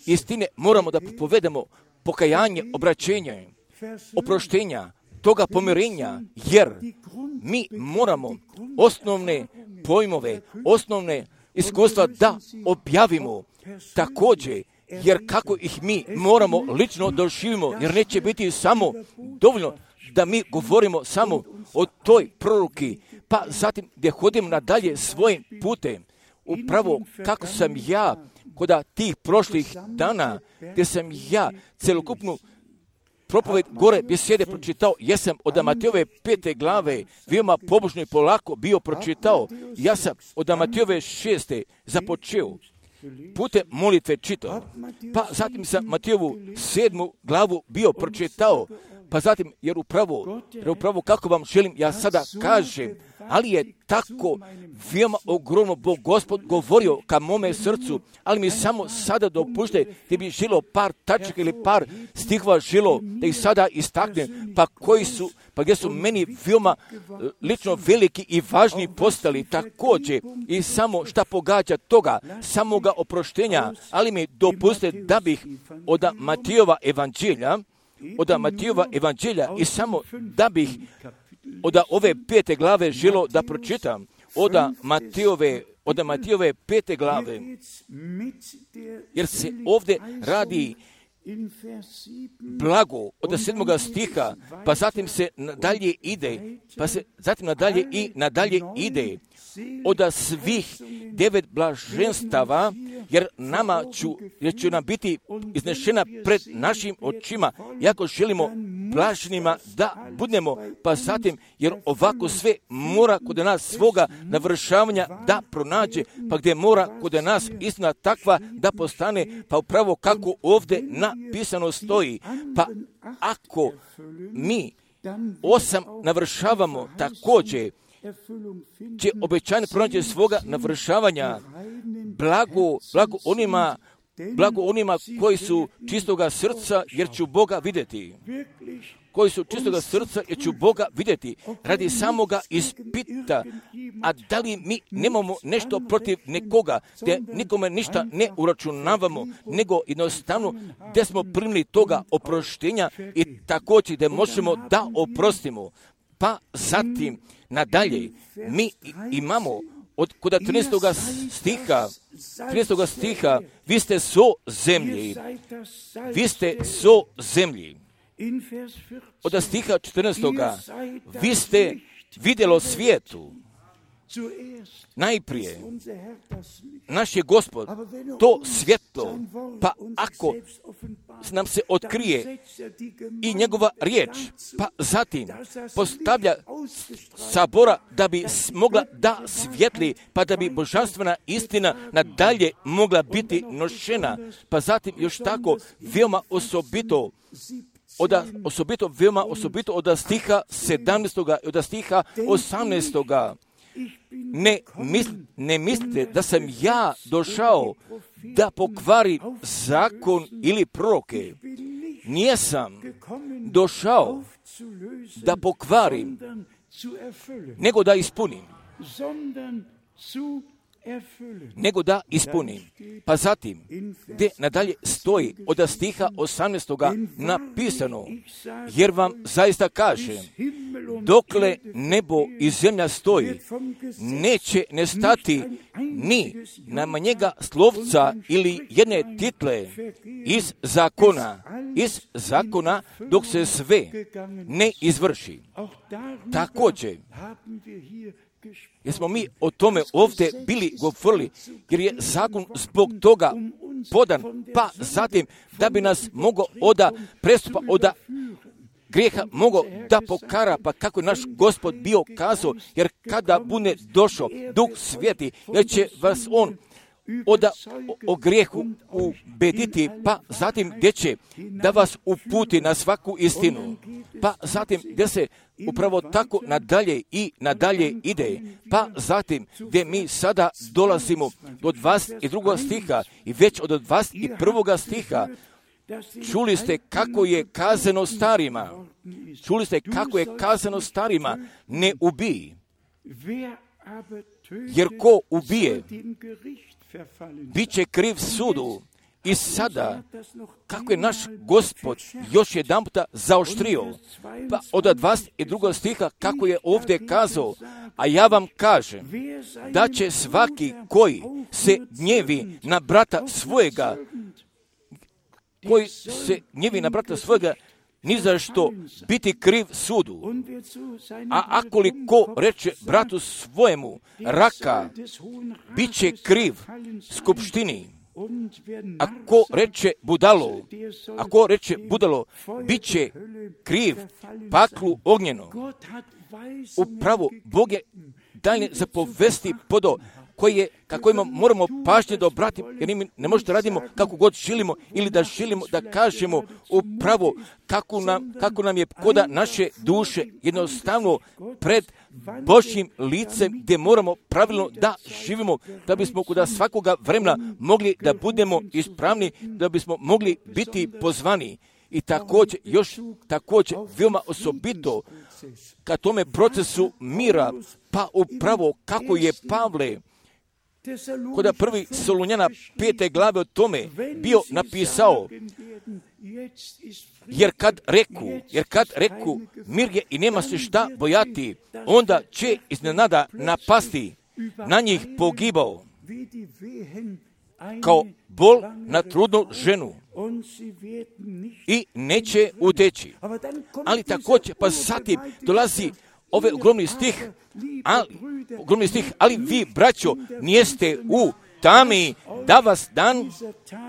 istine moramo da povedemo pokajanje, obraćenje, oproštenja, toga pomirenja, jer mi moramo osnovne pojmove, osnovne iskustva da objavimo također, jer kako ih mi moramo lično doživimo, jer neće biti samo dovoljno da mi govorimo samo o toj proroki, pa zatim gdje hodim nadalje svojim putem, upravo kako sam ja kod tih prošlih dana, gdje sam ja celokupnu propoved gore besede pročitao, jesam od Matejove pete glave veoma pobožno i polako bio pročitao. Ja sam od Matejove šeste započeo putem molitve čitao, pa zatim sam Matejovu sedmu glavu bio pročitao, pa zatim, jer upravo, jer upravo kako vam želim, ja sada kažem, ali je tako veoma ogromno Bog Gospod govorio ka mome srcu, ali mi samo sada dopušte da bi želo par tačaka ili par stihova želo da ih sada istaknem, pa koji su, pa gdje su meni veoma lično veliki i važni postali također i samo šta pogađa toga, samoga oproštenja, ali mi dopuste da bih od Matejova evanđelja, od Matejova evanđelja i samo da bih od ove pete glave želo da pročitam, od Matejove, od Matejove pete glave, jer se ovdje radi blago od sedmoga stiha, pa zatim se nadalje ide, pa se zatim nadalje i nadalje ide od svih devet blaženstava, jer nama ću, jer će nam biti iznešena pred našim očima, jako želimo blaženima da budemo, pa zatim, jer ovako sve mora kod nas svoga navršavanja da pronađe, pa gdje mora kod nas istina takva da postane, pa upravo kako ovdje napisano stoji, pa ako mi osam navršavamo također, će obećanje pronaći svoga navršavanja, blago, blago onima, blago onima koji su čistoga srca, jer ću Boga vidjeti. Koji su čistoga srca, jer ću Boga vidjeti. Radi samoga ispita, a da li mi nemamo nešto protiv nekoga, gdje nikome ništa ne uračunavamo, nego jednostavno gdje smo primili toga oproštenja i također gdje možemo da oprostimo. Pa zatim, nadalje, mi imamo od kod trinaestog stiha, trinaestog stiha, vi ste so zemlji, vi ste so zemlji. Od stiha četrnaestog vi ste vidjelo svijetu. Najprije, naš je Gospod to svjetlo, pa ako nam se otkrije i njegova riječ, pa zatim postavlja sabora da bi mogla da svjetli, pa da bi božanstvena istina nadalje mogla biti nošena, pa zatim još tako veoma osobito, od, osobito, veoma osobito od stiha sedamnaestog i od stiha osamnaestog Ne, misl, ne mislite da sam ja došao da pokvari zakon ili proroke. Nijesam došao da pokvarim, nego da ispunim. Nego da ispunim. Pa zatim, gdje nadalje stoji od stiha osamnaestog napisano, jer vam zaista kažem, dokle nebo i zemlja stoji, neće nestati ni na njega slovca ili jedne title iz zakona, iz zakona dok se sve ne izvrši. Također, jer smo mi o tome ovdje bili govorili, jer je zakon zbog toga podan, pa zatim da bi nas mogao oda prestupa, oda grijeha mogao da pokara, pa kako je naš Gospod bio kazao, jer kada bude došao Duh Sveti, jer će vas on oda o, o grijehu ubediti, pa zatim gdje će da vas uputi na svaku istinu, pa zatim gdje se upravo tako nadalje i nadalje ide, pa zatim gdje mi sada dolazimo do dvadeset drugog stiha i već od dvadeset prvog stiha, čuli ste kako je kazano starima, čuli ste kako je kazano starima, ne ubij, jer ko ubije, bit će kriv sudu. I sada, kako je naš Gospod još jedan puta zaoštrio, pa od dvadeset drugog stiha, kako je ovdje kazao, a ja vam kažem, da će svaki koji se gnjevi na brata svojega, koji se gnjevi na brata svojega, ni za što biti kriv sudu. A ako li ko reče bratu svojemu raka, bit će kriv skupštini. Ako reče budalo, ako reče budalo, bit će kriv paklu ognjeno. Upravo Bog je dalje zapovesti podo koji je, kako ima, moramo pažnje da obratimo, jer mi ne možete radimo kako god želimo ili da želimo da kažemo upravo kako nam, kako nam je koda naše duše jednostavno pred Božjim licem gdje moramo pravilno da živimo, da bismo kuda svakoga vremena mogli da budemo ispravni, da bismo mogli biti pozvani. I također, još također, veoma osobito ka tome procesu mira, pa upravo kako je Pavle kod prvi Solunjana pete glave o tome bio napisao, jer kad reku, jer kad reku mir je i nema se šta bojati, onda će iznenada napasti na njih pogibao, kao bol na trudnu ženu i neće uteći. Ali također, pa zatim dolazi ovaj ogromni stih, ali, ogromni stih, ali vi, braćo, nijeste u tami da vas dan,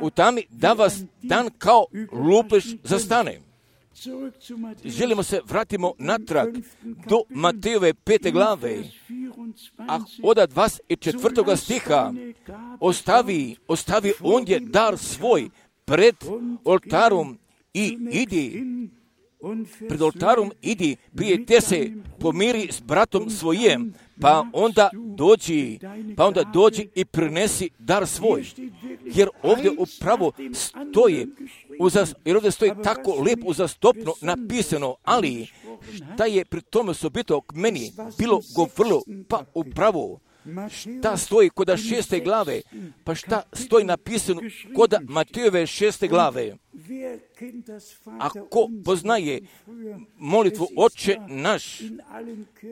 u tami da vas dan kao lupež zastane. Želimo se vratimo natrag do Matejove pete glave, a od dvadeset četvrtoga stiha ostavi, ostavi ondje dar svoj pred oltarom i idi, pred oltarom idi, prije te se pomiri s bratom svojim, pa onda dođi, pa onda dođi i prinesi dar svoj. Jer ovdje upravo stoji, uzas, jer ovdje stoji tako lijepo uzastopno napisano, ali šta je pri tome osobito k meni bilo govorilo, pa upravo šta stoji koda šeste glave, pa šta stoji napisano koda Matejove šeste glave. Ako poznaje molitvu Oče naš,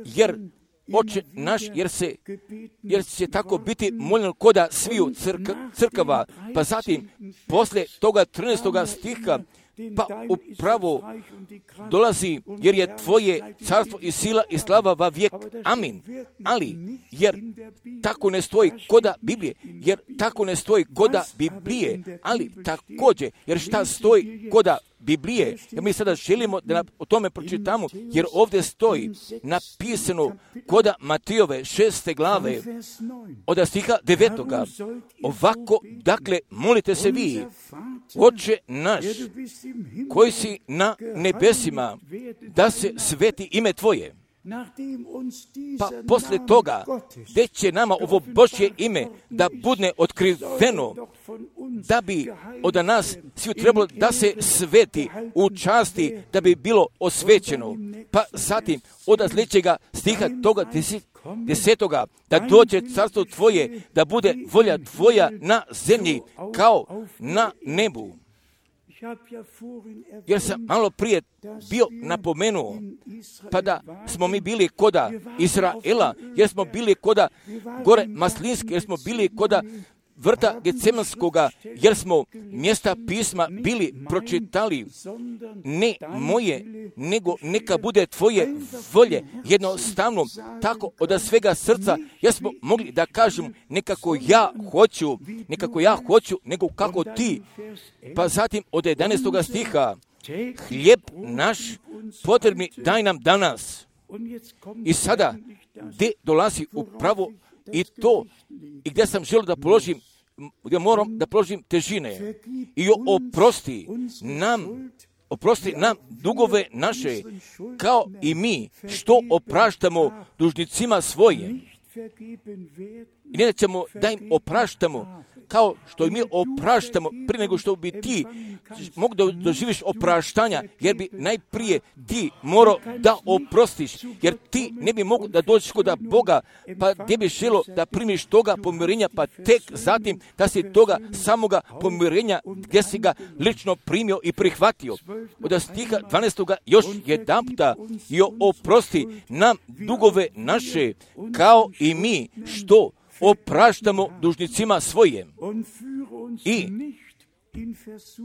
jer Oče naš, jer se, jer će tako biti moljen koda sviju crka, crkava, pa zatim posle toga trinaestoga stiha, pa upravo dolazi, jer je tvoje carstvo i sila i slava va vijek. Amin. Ali, jer tako ne stoji koda Biblije, jer tako ne stoji koda Biblije, ali također, jer šta stoji koda Biblije, jer mi sada želimo da o tome pročitamo, jer ovdje stoji napisano koda Matejove šeste glave, od stiha devetoga. Ovako, dakle, molite se vi, Oče naš, koji si na nebesima, da se sveti ime Tvoje. Pa posle toga, gdje će nama ovo Božje ime da bude otkriveno, da bi od nas svi trebalo da se sveti u časti, da bi bilo osvećeno. Pa zatim, od sljedećega stiha toga desetoga, da dođe carstvo Tvoje, da bude volja Tvoja na zemlji kao na nebu. Jer sam malo prije bio napomenuo, pa da smo mi bili koda Izraela, jer smo bili koda gore Maslinske, jer smo bili koda vrta Gecemanskoga, jer smo mjesta pisma bili pročitali, ne moje, nego neka bude Tvoje volje, jednostavno, tako od svega srca, jer smo mogli da kažemo nekako ja hoću, nekako ja hoću, nego kako Ti. Pa zatim od jedanaestoga stiha, hljeb naš potrebni daj nam danas. I sada, gdje dolazi upravo i to, i gdje sam želio da položim, gdje moram da položim težine, i oprosti nam, oprosti nam dugove naše, kao i mi što opraštamo dužnicima svojim. I ne ćemo da im opraštamo, kao što i mi opraštamo prije nego što bi ti mogu da doživiš opraštanja, jer bi najprije ti morao da oprostiš, jer ti ne bi mogu da dođeš kod Boga, pa gdje bi želo da primiš toga pomirenja, pa tek zatim da si toga samoga pomirenja gdje si ga lično primio i prihvatio. Od stiha dvanaestoga još jedanputa, i oprosti nam dugove naše, kao i mi što opraštamo dužnicima svojim. I,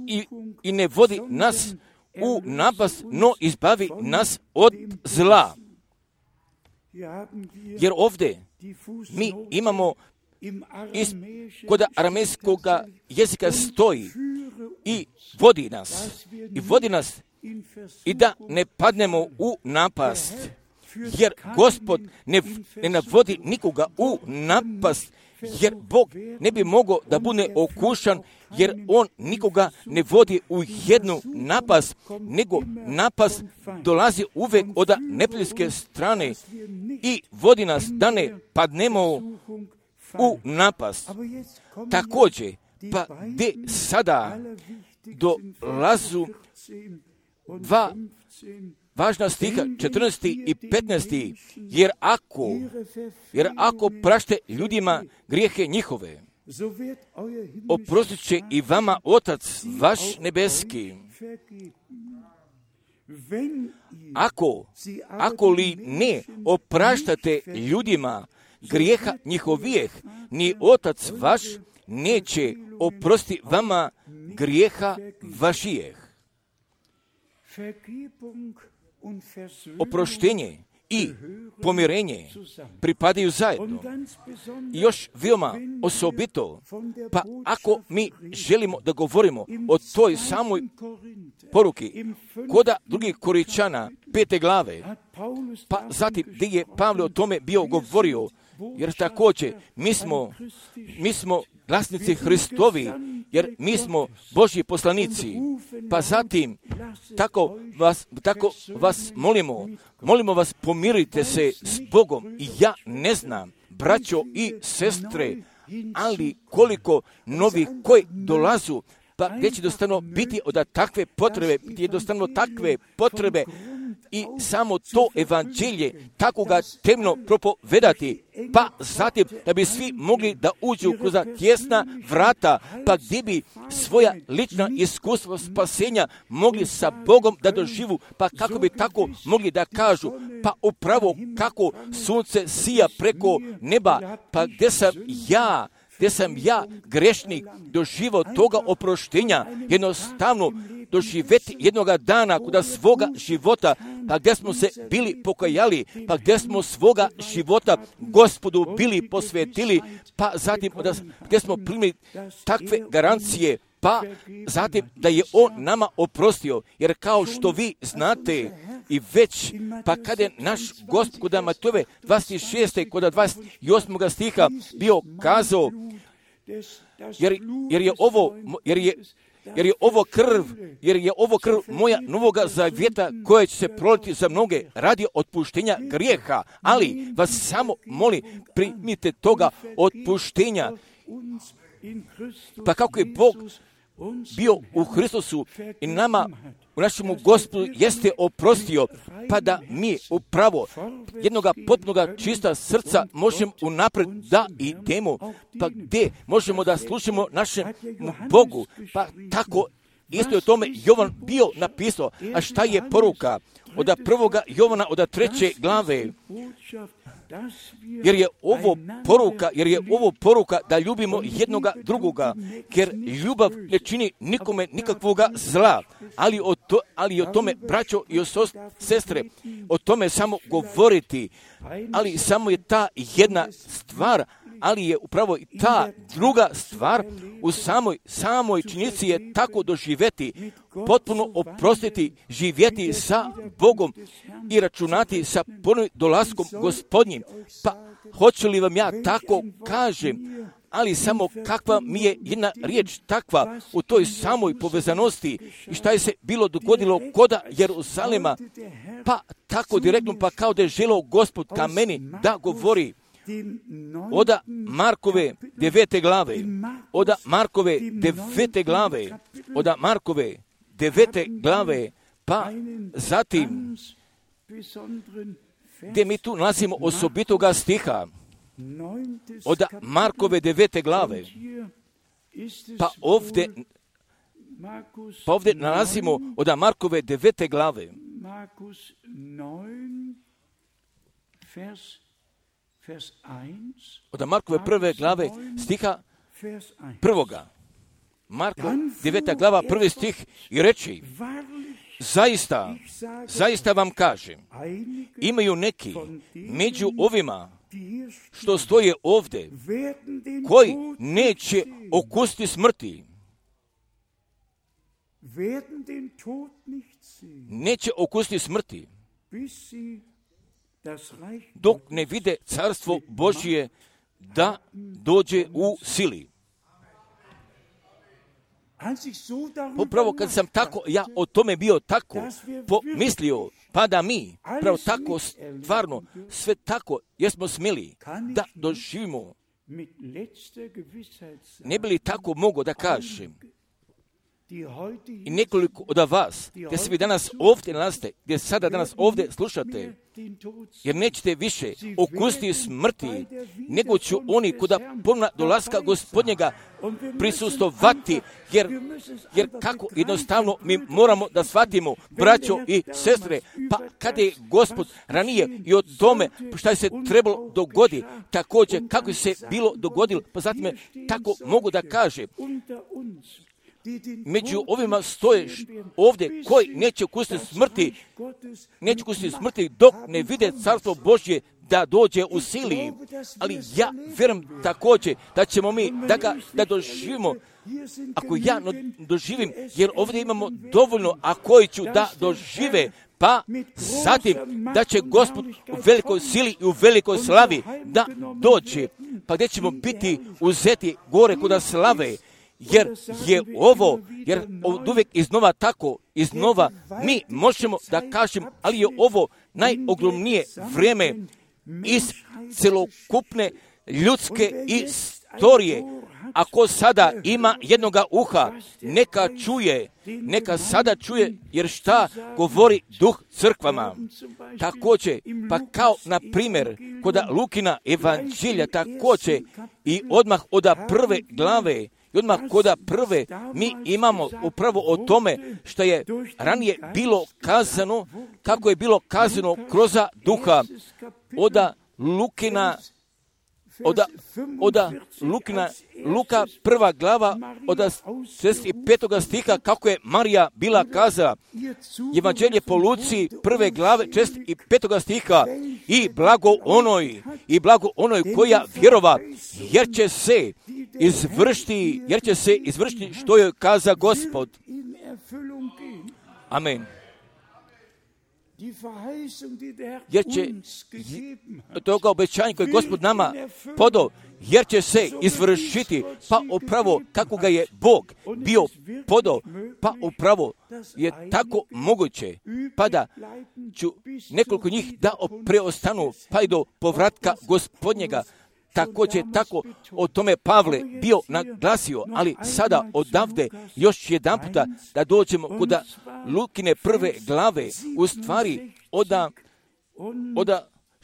i, i ne vodi nas u napast, no izbavi nas od zla. Jer ovdje mi imamo is, kod aramejskog jezika stoji i vodi nas, i vodi nas i da ne padnemo u napast, jer Gospod ne, ne navodi nikoga u napast, jer Bog ne bi mogao da bude okušan, jer On nikoga ne vodi u jednu napast, nego napast dolazi uvek od neprijateljske strane i vodi nas da ne padnemo u napast. Također, pa gdje sada dolazu dva važna stiha, četrnaesti i petnaesti, jer ako, jer ako prašte ljudima grijehe njihove, oprostit će i vama Otac vaš nebeski. Ako, ako li ne opraštate ljudima grijeha njihovijeh, ni Otac vaš neće oprosti vama grijeha vašijeh. Oproštenje i pomirenje pripadaju zajedno. I još veoma osobito, pa ako mi želimo da govorimo o toj samoj poruki koda drugih Koričana, pete glave, pa zatim gdje je Pavle o tome bio govorio, jer također mi smo, mi smo glasnici Hristovi, jer mi smo Božji poslanici. Pa zatim, tako vas, tako vas molimo, molimo vas, pomirite se s Bogom. I ja ne znam, braćo i sestre, ali koliko novih koji dolazu, pa gdje će jednostavno biti od takve potrebe, gdje jednostavno takve potrebe i samo to evanđelje tako ga temno propovedati, pa zatim da bi svi mogli da uđu kroz tjesna vrata, pa gdje bi svoja lična iskustva spasenja mogli sa Bogom da doživu, pa kako bi tako mogli da kažu, pa upravo kako sunce sija preko neba, pa gdje sam ja, gdje sam ja grešnik doživao toga oproštenja, jednostavno doživjeti jednoga dana kuda svoga života, pa gdje smo se bili pokajali, pa gdje smo svoga života Gospodu bili posvetili, pa zatim gdje smo primili takve garancije, pa zatim da je On nama oprostio, jer kao što vi znate i već, pa kada je naš Gospod kod Matejove dvadeset šeste kod dvadeset osmog stiha bio kazao, jer, jer je ovo, jer je Jer je ovo krv, jer je ovo krv moja novoga zavjeta koja će se proliti za mnoge radi otpuštenja grijeha. Ali vas samo molim, primite toga otpuštenja. Pa kako je Bog bio u Hristusu i nama, u našemu Gospodu, jeste oprostio, pa da mi upravo jednoga potpunoga čista srca možemo unapred da idemo, pa gdje možemo da slušamo našem Bogu, pa tako isto je o tome Jovan bio napisao. A šta je poruka? Od prvoga Jovana, od treće glave, jer je ovo poruka, jer je ovo poruka da ljubimo jednoga drugoga, jer ljubav ne čini nikome nikakvoga zla, ali o, to, ali o tome, braćo i sestre, o tome samo govoriti, ali samo je ta jedna stvar, ali je upravo i ta druga stvar u samoj, samoj činjenici je tako doživjeti, potpuno oprostiti, živjeti sa Bogom i računati sa ponovnim dolaskom Gospodnjim. Pa hoću li vam ja tako kažem, ali samo kakva mi je jedna riječ takva u toj samoj povezanosti i šta je se bilo dogodilo koda Jeruzalema, pa tako direktno, pa kao da je želeo Gospod ka meni da govori. Oda Markove devete glave, oda Markove devete glave, oda Markove devete glave, pa zatim gdje mi tu nalazimo osobitoga stiha, oda Markove devete glave, pa ovdje, pa ovdje nalazimo oda Markove devete glave, od Markove prve glave stiha prvoga. Marko deveta glava prvi stih i reči, zaista, zaista vam kažem, imaju neki među ovima što stoje ovdje, koji neće okusiti smrti. Neće okusiti smrti, dok ne vide carstvo Božje da dođe u sili. Upravo kad sam tako, ja o tome bio tako pomislio, pa da mi, pravo tako stvarno, sve tako, jesmo smjeli da doživimo. Ne bi li tako mogo da kažem? I nekoliko od vas, gdje se vi danas ovdje nalazite, gdje sada danas ovdje slušate, jer nećete više okusiti smrti, nego će oni kuda ponovna dolaska Gospodnjega prisustovati, jer, jer kako jednostavno mi moramo da shvatimo, braćo i sestre, pa kada je Gospod ranije i o tome šta je se trebalo dogodi, također kako se bilo dogodilo, pa zatim je tako mogu da kaže, među ovima stoje ovdje koji neće okusiti smrti, neće okusiti smrti dok ne vide carstvo Božje da dođe u sili. Ali ja vjerujem također da ćemo mi da ga da doživimo. Ako ja no, doživim, jer ovdje imamo dovoljno, a koji ću da dožive, pa zatim da će Gospod u velikoj sili i u velikoj slavi da dođe, pa gdje ćemo biti uzeti gore kuda slave. Jer je ovo, jer od uvijek iznova tako, iznova mi možemo da kažem, ali je ovo najogromnije vrijeme iz celokupne ljudske istorije. Ako sada ima jednoga uha, neka čuje, neka sada čuje, jer šta govori duh crkvama. Također, pa kao na primjer, kod Lukina evanđelja također i odmah od prve glave, i odmah kod prve mi imamo upravo o tome što je ranije bilo kazano, kako je bilo kazano kroz duha od Lukina, od, od Lukina, Luka prva glava od šezdeset petog stiha, kako je Marija bila kazala, evanđelje po Luci prve glave šezdeset petog stiha, i blago onoj, i blago onoj koja vjerova, jer će se izvršiti, jer će se izvršiti što joj kaza Gospod. Amen. Jer će toga obećanja koje je Gospod nama podao, jer će se izvršiti, pa upravo kako ga je Bog bio podao, pa upravo je tako moguće, pa da ću nekoliko njih da preostanu, pa i do povratka Gospodnjega. Također tako o tome Pavle bio naglasio, ali sada odavde još jedan puta da dođemo kod Lukine prve glave, u stvari od, od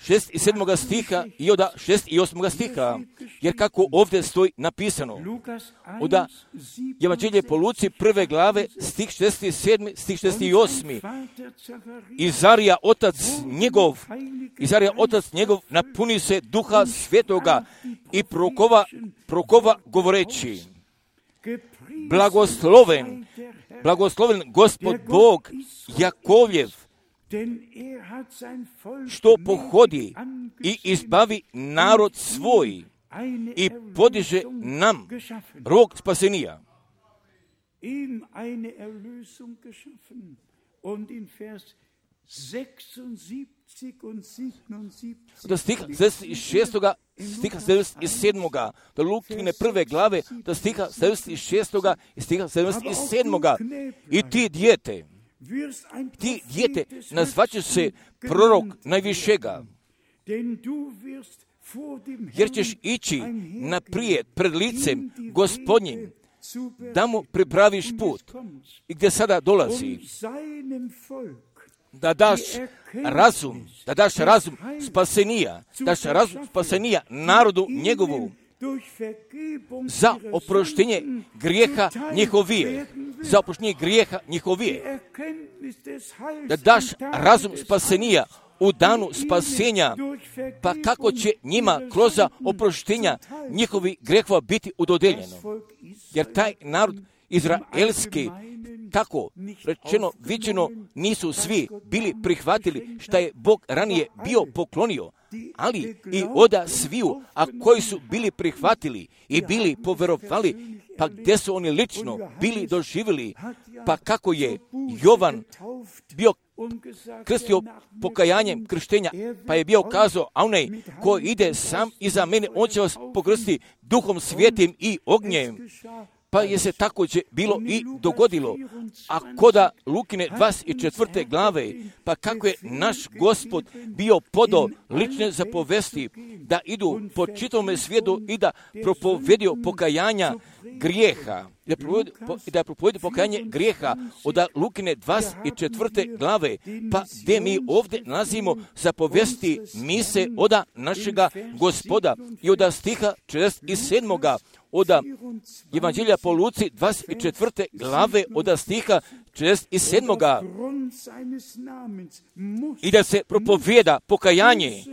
šest i sedmoga stiha i od šest i osmoga stiha, jer kako ovdje stoji napisano, od evanđelje po Luci prve glave, stih šezdeset sedmi, stih šezdeset osmi, Izarija otac njegov, Izarija otac njegov napuni se duha svetoga i prokova, prokova govoreći, blagosloven, blagosloven Gospod Bog Jakovljev, što pohodi i izbavi narod svoj i podiže nam rog spasenija. Do stiha sedamdeset šestog stiha sedamdeset sedmog do Lukine prve glave do stiha sedamdeset šestog i stiha sedamdeset sedmog i ti dijete, ti dijete nazvaćeš se prorok najvišega, jer ćeš ići naprijed pred licem Gospodnjim, da mu pripraviš put i gdje sada dolazi, da daš razum, da daš razum spasenija, daš razum spasenija narodu njegovu, za oproštenje grijeha njihovije, za oproštenje grijeha njihovije, da daš razum spasenija u danu spasenja, pa kako će njima kroz oproštenja njihovi grehova biti udodeljeno. Jer taj narod izraelski tako rečeno, viđeno, nisu svi bili prihvatili šta je Bog ranije bio poklonio, ali i oda sviju, a koji su bili prihvatili i bili poverovali, pa gdje su oni lično bili doživjeli, pa kako je Jovan bio krstio pokajanjem krštenja, pa je bio kazao, a onaj ko ide sam iza mene, on će vas pokrstiti Duhom Svijetim i ognjem. Pa je se također bilo i dogodilo. A koda Lukine dvadeset četvrte glave, pa kako je naš Gospod bio podao lične zapovesti da idu po čitavome svijetu i da propovedio pokajanja grijeha. I da propovedio pokajanje grijeha od Lukine dvadeset četvrte glave, pa gdje mi ovdje nalazimo zapovesti mise od našega Gospoda i od stiha četrdeset sedam. Od Evanđelja po Luci dvadeset četvrte glave od stiha četrdeset sedam. I da se propovijeda pokajanje,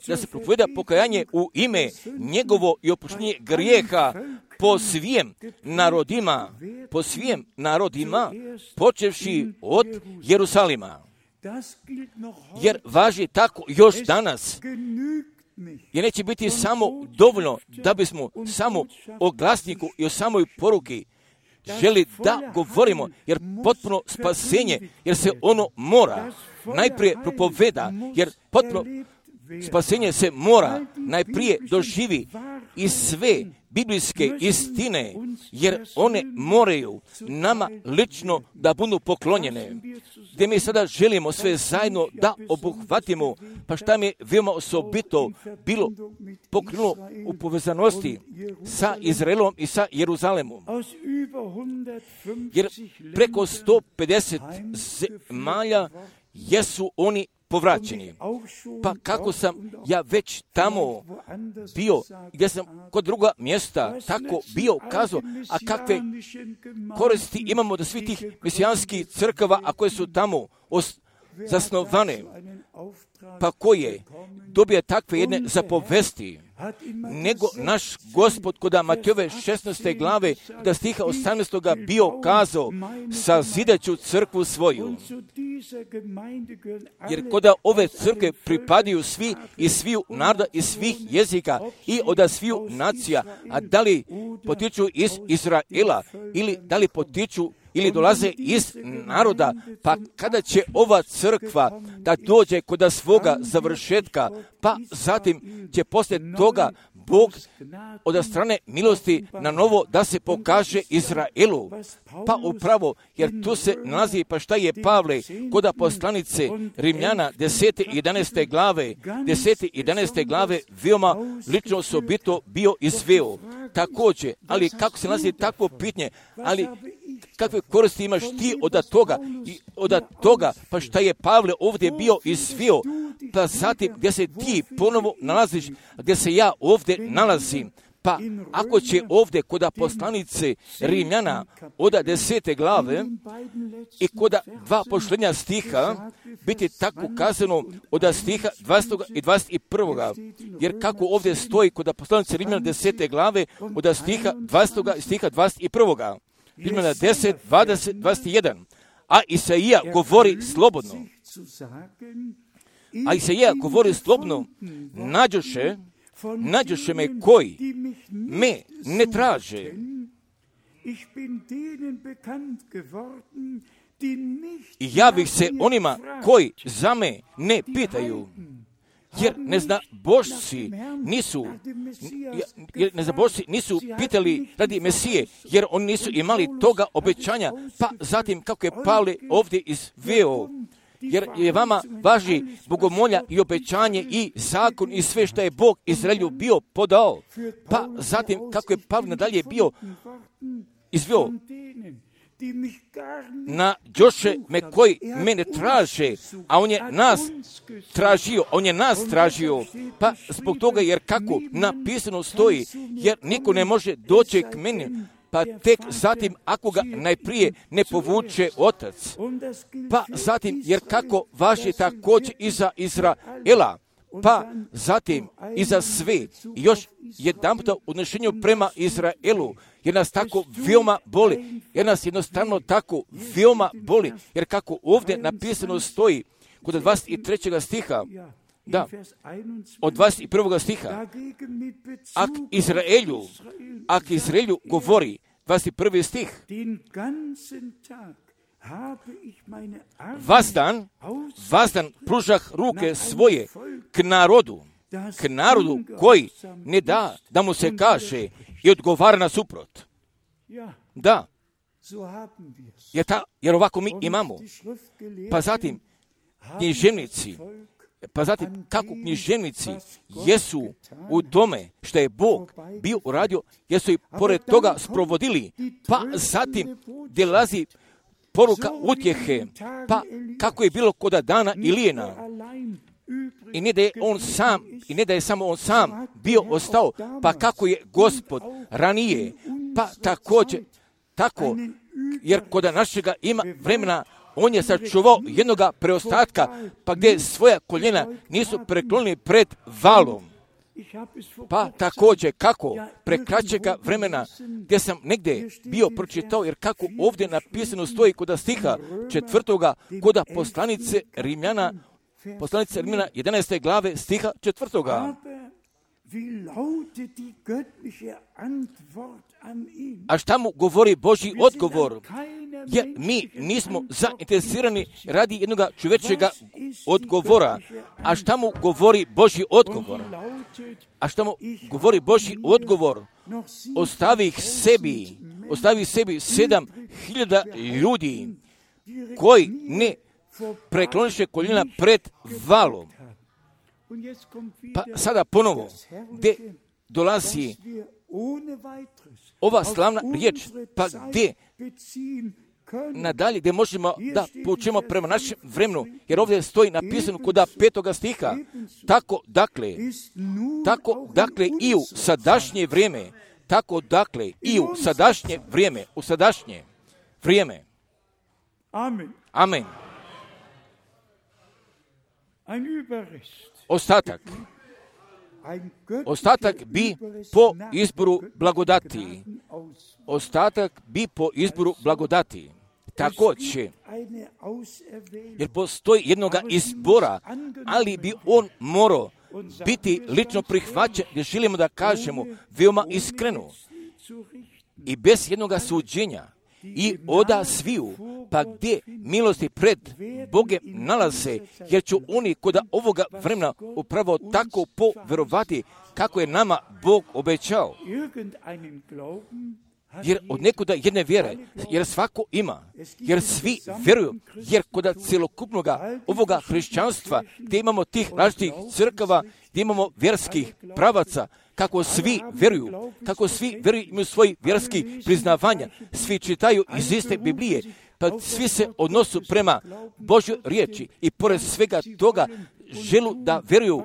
da se propovijeda pokajanje u ime njegovo i oproštenje grijeha po svim narodima, po svim narodima, počevši od Jerusalima. Jer važi tako još danas. Jer neće biti samo dovoljno da bismo samo o glasniku i o samoj poruki želi da govorimo, jer potpuno spasenje, jer se ono mora najprije propoveda, jer potpuno spasenje se mora najprije doživi i sve biblijske istine, jer one moraju nama lično da budu poklonjene. Gdje mi sada želimo sve zajedno da obuhvatimo, pa šta mi je veoma osobito bilo pokrenulo u povezanosti sa Izraelom i sa Jeruzalemom. Jer preko sto pedeset zemalja jesu oni povraćeni. Pa kako sam ja već tamo bio, gdje sam kod druga mjesta tako bio kazao, a kakve koristi imamo da svi tih mesijanskih crkava, a koje su tamo os- zasnovane, pa koje dobije takve jedne zapovesti, nego naš Gospod kod Matejove šesnaeste glave da stiha osamnaestog bio kazao, sazidaću crkvu svoju. Jer kod ove crkve pripadaju svi i sviju naroda i svih jezika i od sviju nacija, a da li potiču iz Izraela ili da li potiču ili dolaze iz naroda, pa kada će ova crkva da dođe kod svoga završetka, pa zatim će poslije toga Bog od strane milosti na novo da se pokaže Izraelu. Pa upravo, jer tu se nalazi, pa šta je Pavle kod poslanice Rimljana desete i jedanaeste glave, desete i jedanaeste glave veoma lično osobito bio izveo. Također, ali kako se nalazi takvo pitanje, ali kakve koristi imaš ti od toga, i od toga, pa šta je Pavle ovdje bio izveo, pa zatim gdje se ti ponovo nalaziš, gdje se ja ovdje nalazim, pa ako će ovdje kod poslanice Rimljana od desete glave i kod dva pošljenja stiha biti tako kazano od stiha dvadesetog i dvadeset prvog. Jer kako ovdje stoji kod poslanice Rimljana desete glave od stiha dvadesetog i stiha dvadeset prvog. Rimljana deset, dvadeset, dvadeset jedan. A Isaija govori slobodno. A Isaija govori slobodno, nađoše, nađoše me koji me ne traže. I javih se onima koji za me ne pitaju. Jer neznabošci nisu, jer neznabošci nisu pitali radi Mesije, jer oni nisu imali toga obećanja, pa zatim kako je Pavle ovdje izveo, jer je vama važi bogomolja i obećanje i zakon i sve što je Bog Izraelju bio podao, pa zatim kako je Pavle nadalje bio izveo, na Joše me koji mene traže, a on je nas tražio, on je nas tražio, pa zbog toga jer kako napisano stoji, jer niko ne može doći k meni, pa tek zatim ako ga najprije ne povuče otac, pa zatim jer kako važi također i za Izraela, pa zatim i za sve, i još jedanputa u odnošenju prema Izraelu, jer nas tako veoma boli, jer nas jednostavno tako veoma boli, jer kako ovdje napisano stoji kod dvadeset trećeg stiha, da, od dvadeset prvog stiha, ak Izraelju, ak Izraelju govori, dvadeset prvi stih, Vazdan, vazdan pružah ruke svoje k narodu, k narodu koji ne da da mu se kaže i odgovara na suprot. Da, jer, ta, jer ovako mi imamo. Pa zatim književnici, pa zatim kako književnici jesu u tome što je Bog bio uradio, jesu i pored toga sprovodili, pa zatim dolazi poruka utjehe, pa kako je bilo kod dana Ilijena. I ne da je on sam, i ne da je samo on sam bio ostao, pa kako je Gospod ranije, pa također, tako, jer kod našega ima vremena, on je sačuvao jednoga preostatka, pa gdje svoja koljena nisu preklonili pred valom. Pa također kako prekraćega vremena gdje sam negdje bio pročitao, jer kako ovdje napisano stoji kod stiha četvrtoga, kod poslanice Rimljana, poslanice Rimljana jedanaeste glave stiha četvrtoga. A šta mu govori Božji odgovor? Jer mi nismo zainteresirani radi jednog čovječega odgovora. A šta mu govori Božji odgovor? A šta mu govori Božji odgovor? Ostavi ih sebi, ostavi sebi sedam hiljada ljudi koji ne prekloniše koljena pred valom. Pa sada ponovo, gdje dolazi ova slavna riječ, pa gdje nadalje, gdje možemo da poučimo prema našem vremenu, jer ovdje stoji napisano kod petoga stiha, tako dakle, tako dakle i u sadašnje vrijeme, tako dakle i u sadašnje vrijeme, u sadašnje vrijeme. Amen. Amen. Ostatak. Ostatak bi po izboru blagodati. Ostatak bi po izboru blagodati. Također, jer postoji jednoga izbora, ali bi on morao biti lično prihvaćen, gdje želimo da kažemo veoma iskreno i bez jednoga suđenja i oda sviju, pa gdje milosti pred Bogem nalaze, jer će oni kod ovoga vremena upravo tako poverovati kako je nama Bog obećao. Jer od nekuda jedne vjere, jer svako ima, jer svi vjeruju, jer kod cjelokupnog ovoga hrišćanstva, gdje imamo tih različitih crkava, gdje imamo vjerskih pravaca, kako svi vjeruju, kako svi vjeruju, imaju svoj vjerskih priznavanja, svi čitaju iz iste Biblije, pa svi se odnosu prema Božjoj riječi i pored svega toga želu da vjeruju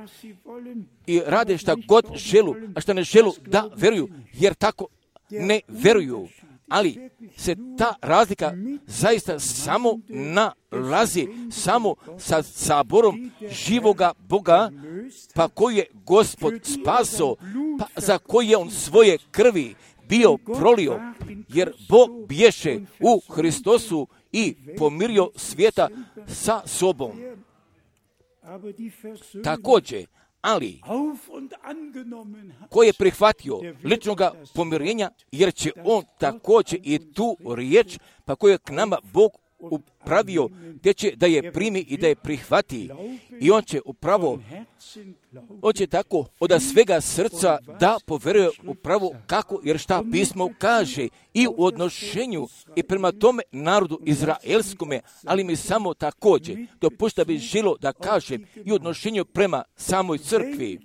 i rade šta god želu, a šta ne želu da vjeruju, jer tako ne vjeruju. Ali se ta razlika zaista samo nalazi samo sa saborom živoga Boga, pa koji je Gospod spaso, pa za koji je on svoje krvi bio prolio, jer Bog bješe u Hristosu i pomirio svijeta sa sobom. Također, ali koji je prihvatio ličnoga pomirenja, jer će on također i tu riječ, pa koju je k nama Bog upravio, gdje će da je primi i da je prihvati. I on će upravo, on će tako od svega srca da poveruje upravo kako, jer šta pismo kaže i u odnošenju i prema tome narodu izraelskome, ali mi samo također dopušta bi želo da kaže i u odnošenju prema samoj crkvi.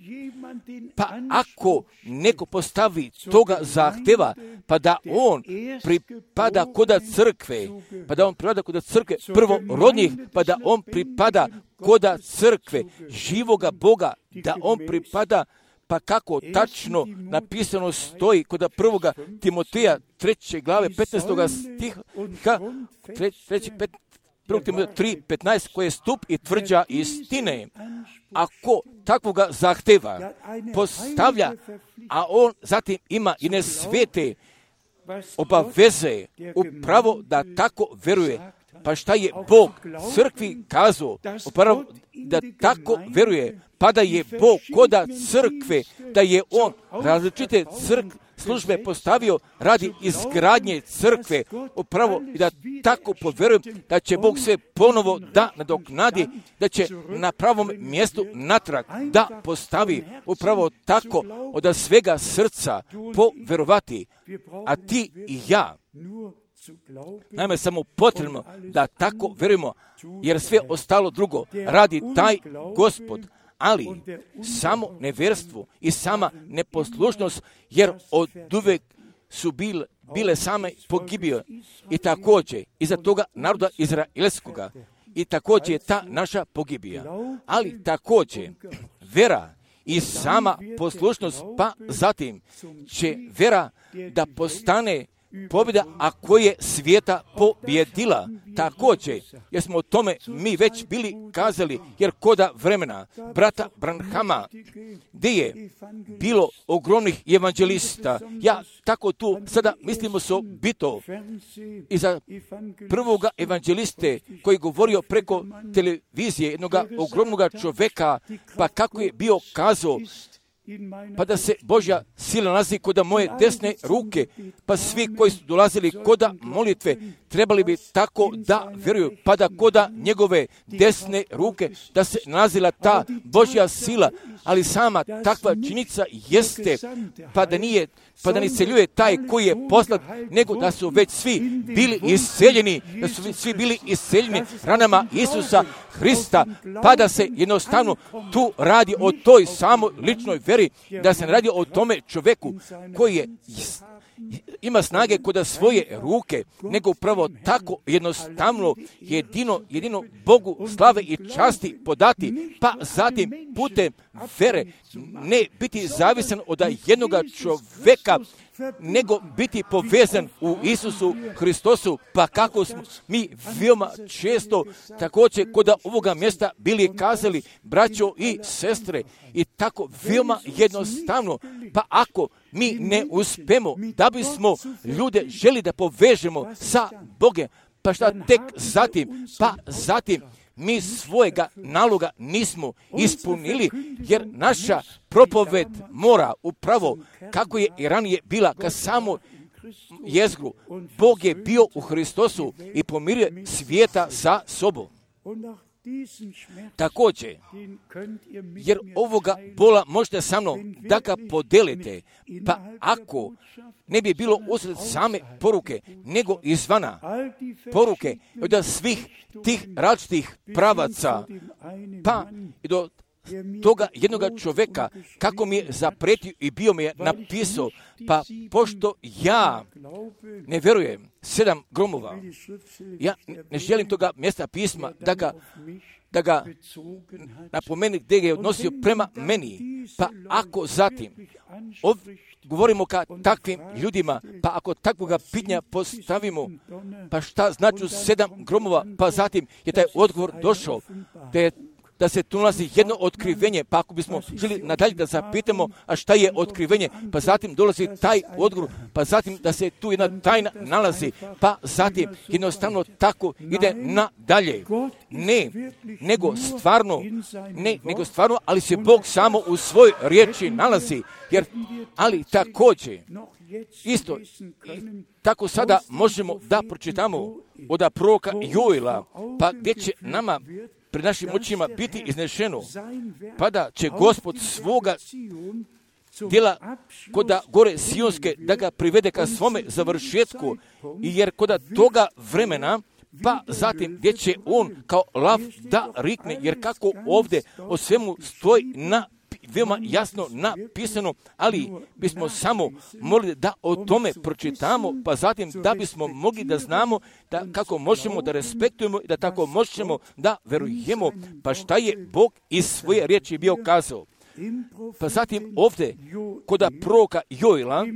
Pa ako neko postavi toga zahteva, pa da on pripada koda crkve, pa da on pripada koda crkve prvorodnih, pa da on pripada koda crkve živoga Boga, da on pripada, pa kako tačno napisano stoji kod prvoga Timoteja treće glave petnaestoga stiha, treći, pet, prvo Timoteo tri petnaest, koji je stup i tvrđa istine. Ako takvoga zahteva, postavlja, a on zatim ima i ne svete obaveze upravo da tako veruje. Pa šta je Bog crkvi kazao? Upravo da tako veruje. Pa da je Bog koda crkve, da je on različite crkve službe postavio radi izgradnje crkve, upravo i da tako poverujem da će Bog sve ponovo da nadoknadi, da će na pravom mjestu natrag da postavi, upravo tako od svega srca poverovati. A ti i ja, naime samo potrebno da tako verujemo, jer sve ostalo drugo radi taj Gospod. Ali samo nevjerstvo i sama neposlušnost, jer od uvek su bile, bile same pogibije. I također iza toga naroda izraelskoga. I također je ta naša pogibija. Ali također vera i sama poslušnost, pa zatim će vera da postane pobjeda, a koje je svijeta pobjedila. Također, jer smo o tome mi već bili kazali, jer koda vremena brata Branhama, gdje je bilo ogromnih evanđelista, ja tako tu sada mislimo so bito i za prvoga evanđeliste koji govorio preko televizije jednog ogromnog čovjeka, pa kako je bio kazao, pa da se Božja sila nalazi koda moje desne ruke, pa svi koji su dolazili koda molitve trebali bi tako da vjeruju, pa da koda njegove desne ruke da se nalazila ta Božja sila, ali sama takva činjenica jeste, pa da nije, pa da ne isceljuje taj koji je poslat, nego da su već svi bili isceljeni, da su svi bili isceljeni ranama Isusa Hrista, pa da se jednostavno tu radi o toj samoj ličnoj veri, da se ne radi o tome čovjeku koji je ima snage kod svoje ruke, nego upravo tako jednostavno jedino, jedino Bogu slave i časti podati, pa zatim putem vere ne biti zavisan od jednog čovjeka, nego biti povezan u Isusu Hristosu, pa kako smo mi veoma često također kod ovoga mjesta bili kazali, braćo i sestre, i tako veoma jednostavno, pa ako mi ne uspemo da bismo ljude želi da povežemo sa Bogom, pa šta tek zatim, pa zatim mi svojega naloga nismo ispunili, jer naša propoved mora upravo, kako je i ranije bila, ka samo jezgru. Bog je bio u Hristosu i pomirio svijeta sa sobom. Također, jer ovoga bola možete sa mnom da ga podelite, pa ako ne bi bilo usred same poruke, nego izvana poruke od svih tih različitih pravaca, pa i do toga jednoga čovjeka, kako mi je zapretio i bio mi je napisao, pa pošto ja ne vjerujem sedam gromova, ja ne želim toga mjesta pisma da ga da ga napomeni gdje ga je odnosio prema meni, pa ako zatim ov, govorimo ka takvim ljudima, pa ako takvoga pitanja postavimo, pa šta znači sedam gromova, pa zatim je taj odgovor došao, da je da se tu nalazi jedno otkrivenje, pa ako bismo želi nadalje da zapitamo, a šta je otkrivenje, pa zatim dolazi taj odgovor, pa zatim da se tu jedna tajna nalazi, pa zatim jednostavno tako ide nadalje. Ne, nego stvarno, ne, nego stvarno, ali se Bog samo u svojoj riječi nalazi, jer, ali također, isto, tako sada možemo da pročitamo od proroka Joela, pa gdje će nama pred našim očima biti iznešeno, pa da će Gospod svoga djela koda gore Sionske da ga privede ka svome završetku, jer koda toga vremena, pa zatim gdje će on kao lav da rikne, jer kako ovdje o svemu stoji na veoma jasno napisano, ali bismo samo morali da o tome pročitamo, pa zatim da bismo mogli da znamo da kako možemo da respektujemo i da tako možemo da verujemo, pa šta je Bog iz svoje riječi bio kazao. Pa zatim ovdje, kod proroka Joela,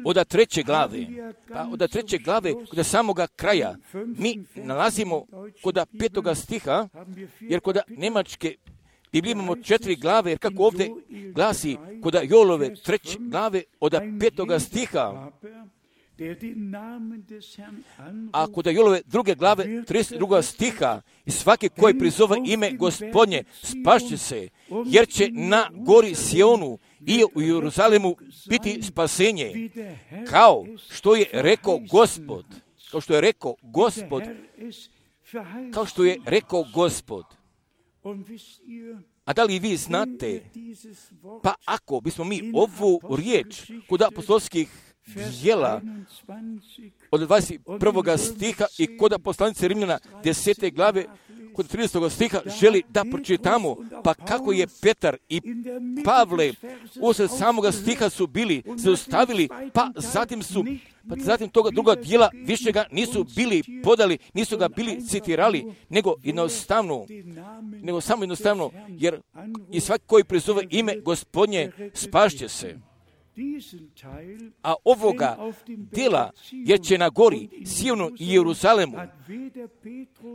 od treće glave, pa od treće glave kod samoga kraja mi nalazimo kod petoga stiha, jer kod nemačke Biblije imamo četiri glave, jer kako ovdje glasi kod Joelove treće glave od petoga stiha, a kod Joelove druge glave trideset drugog stiha, i svaki koji prizove ime Gospodnje spašće se, jer će na gori Sionu i u Jeruzalemu biti spasenje, kao što je rekao Gospod, kao što je rekao Gospod, kao što je rekao Gospod. A da li vi znate, pa ako bismo mi ovu riječ kod apostolskih djela od dvadeset prvog stiha i kod poslanice Rimljana desete glave kod tridesetog stiha želi da pročitamo, pa kako je Petar i Pavle usred samoga stiha su bili zaustavili, pa zatim su pa zatim toga druga dijela više ga nisu bili podali, nisu ga bili citirali, nego jednostavno, nego samo jednostavno, jer i svaki koji prizove ime Gospodnje spašće se. A ovoga djela, jer će na gori Sionu i Jeruzalemu,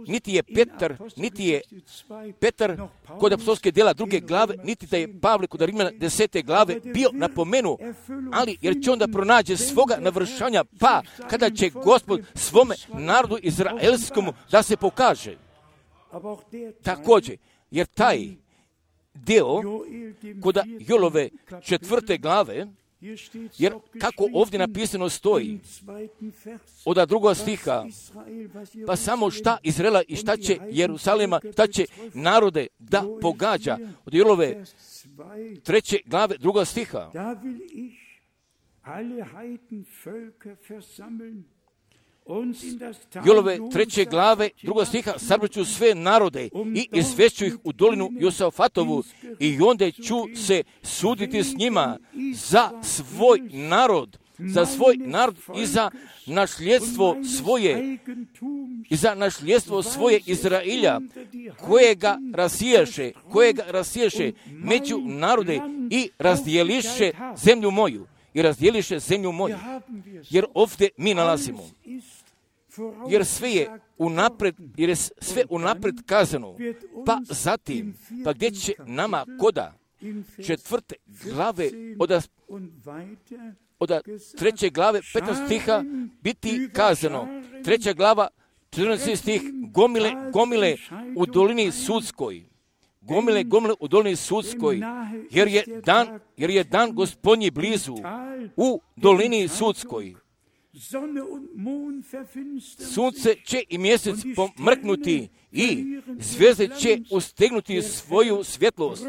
niti je Petar, niti je Petar kod apostolske djela druge glave, niti da je Pavle kod Rimljana desete glave bio napomenu, ali jer će onda pronađe svoga navršanja, pa kada će Gospod svome narodu izraelskom da se pokaže. Također, jer taj deo kod Joelove četvrte glave, jer kako ovdje napisano stoji od drugog stiha, pa samo šta Izraela i šta će Jerusalema, šta će narode da pogađa, od Joelove treće glave drugog stiha. Joelove treće glave drugog stiha, sabraću sve narode i izvešću ih u dolinu Josafatovu i onda ću se suditi s njima za svoj narod, za svoj narod i za nasljedstvo svoje, i za nasljedstvo svoje Izrailja, kojega rasiješe, kojega rasiješe među narode i razdijeliše zemlju moju, i razdijeliše zemlju moju, jer ovdje mi nalazimo. Jer sve je unapred, jer je sve unapred kazano, pa zatim, pa gdje će nama koda četvrte glave od, od treće glave petnaest stiha biti kazano, treća glava četrnaesti stih, gomile, gomile u dolini sudskoj, gomile, gomile u dolini sudskoj, jer je dan, jer je dan Gospodnji blizu u dolini sudskoj. Sunce će i mjesec pomrknuti i zvijezde će ustegnuti svoju svjetlost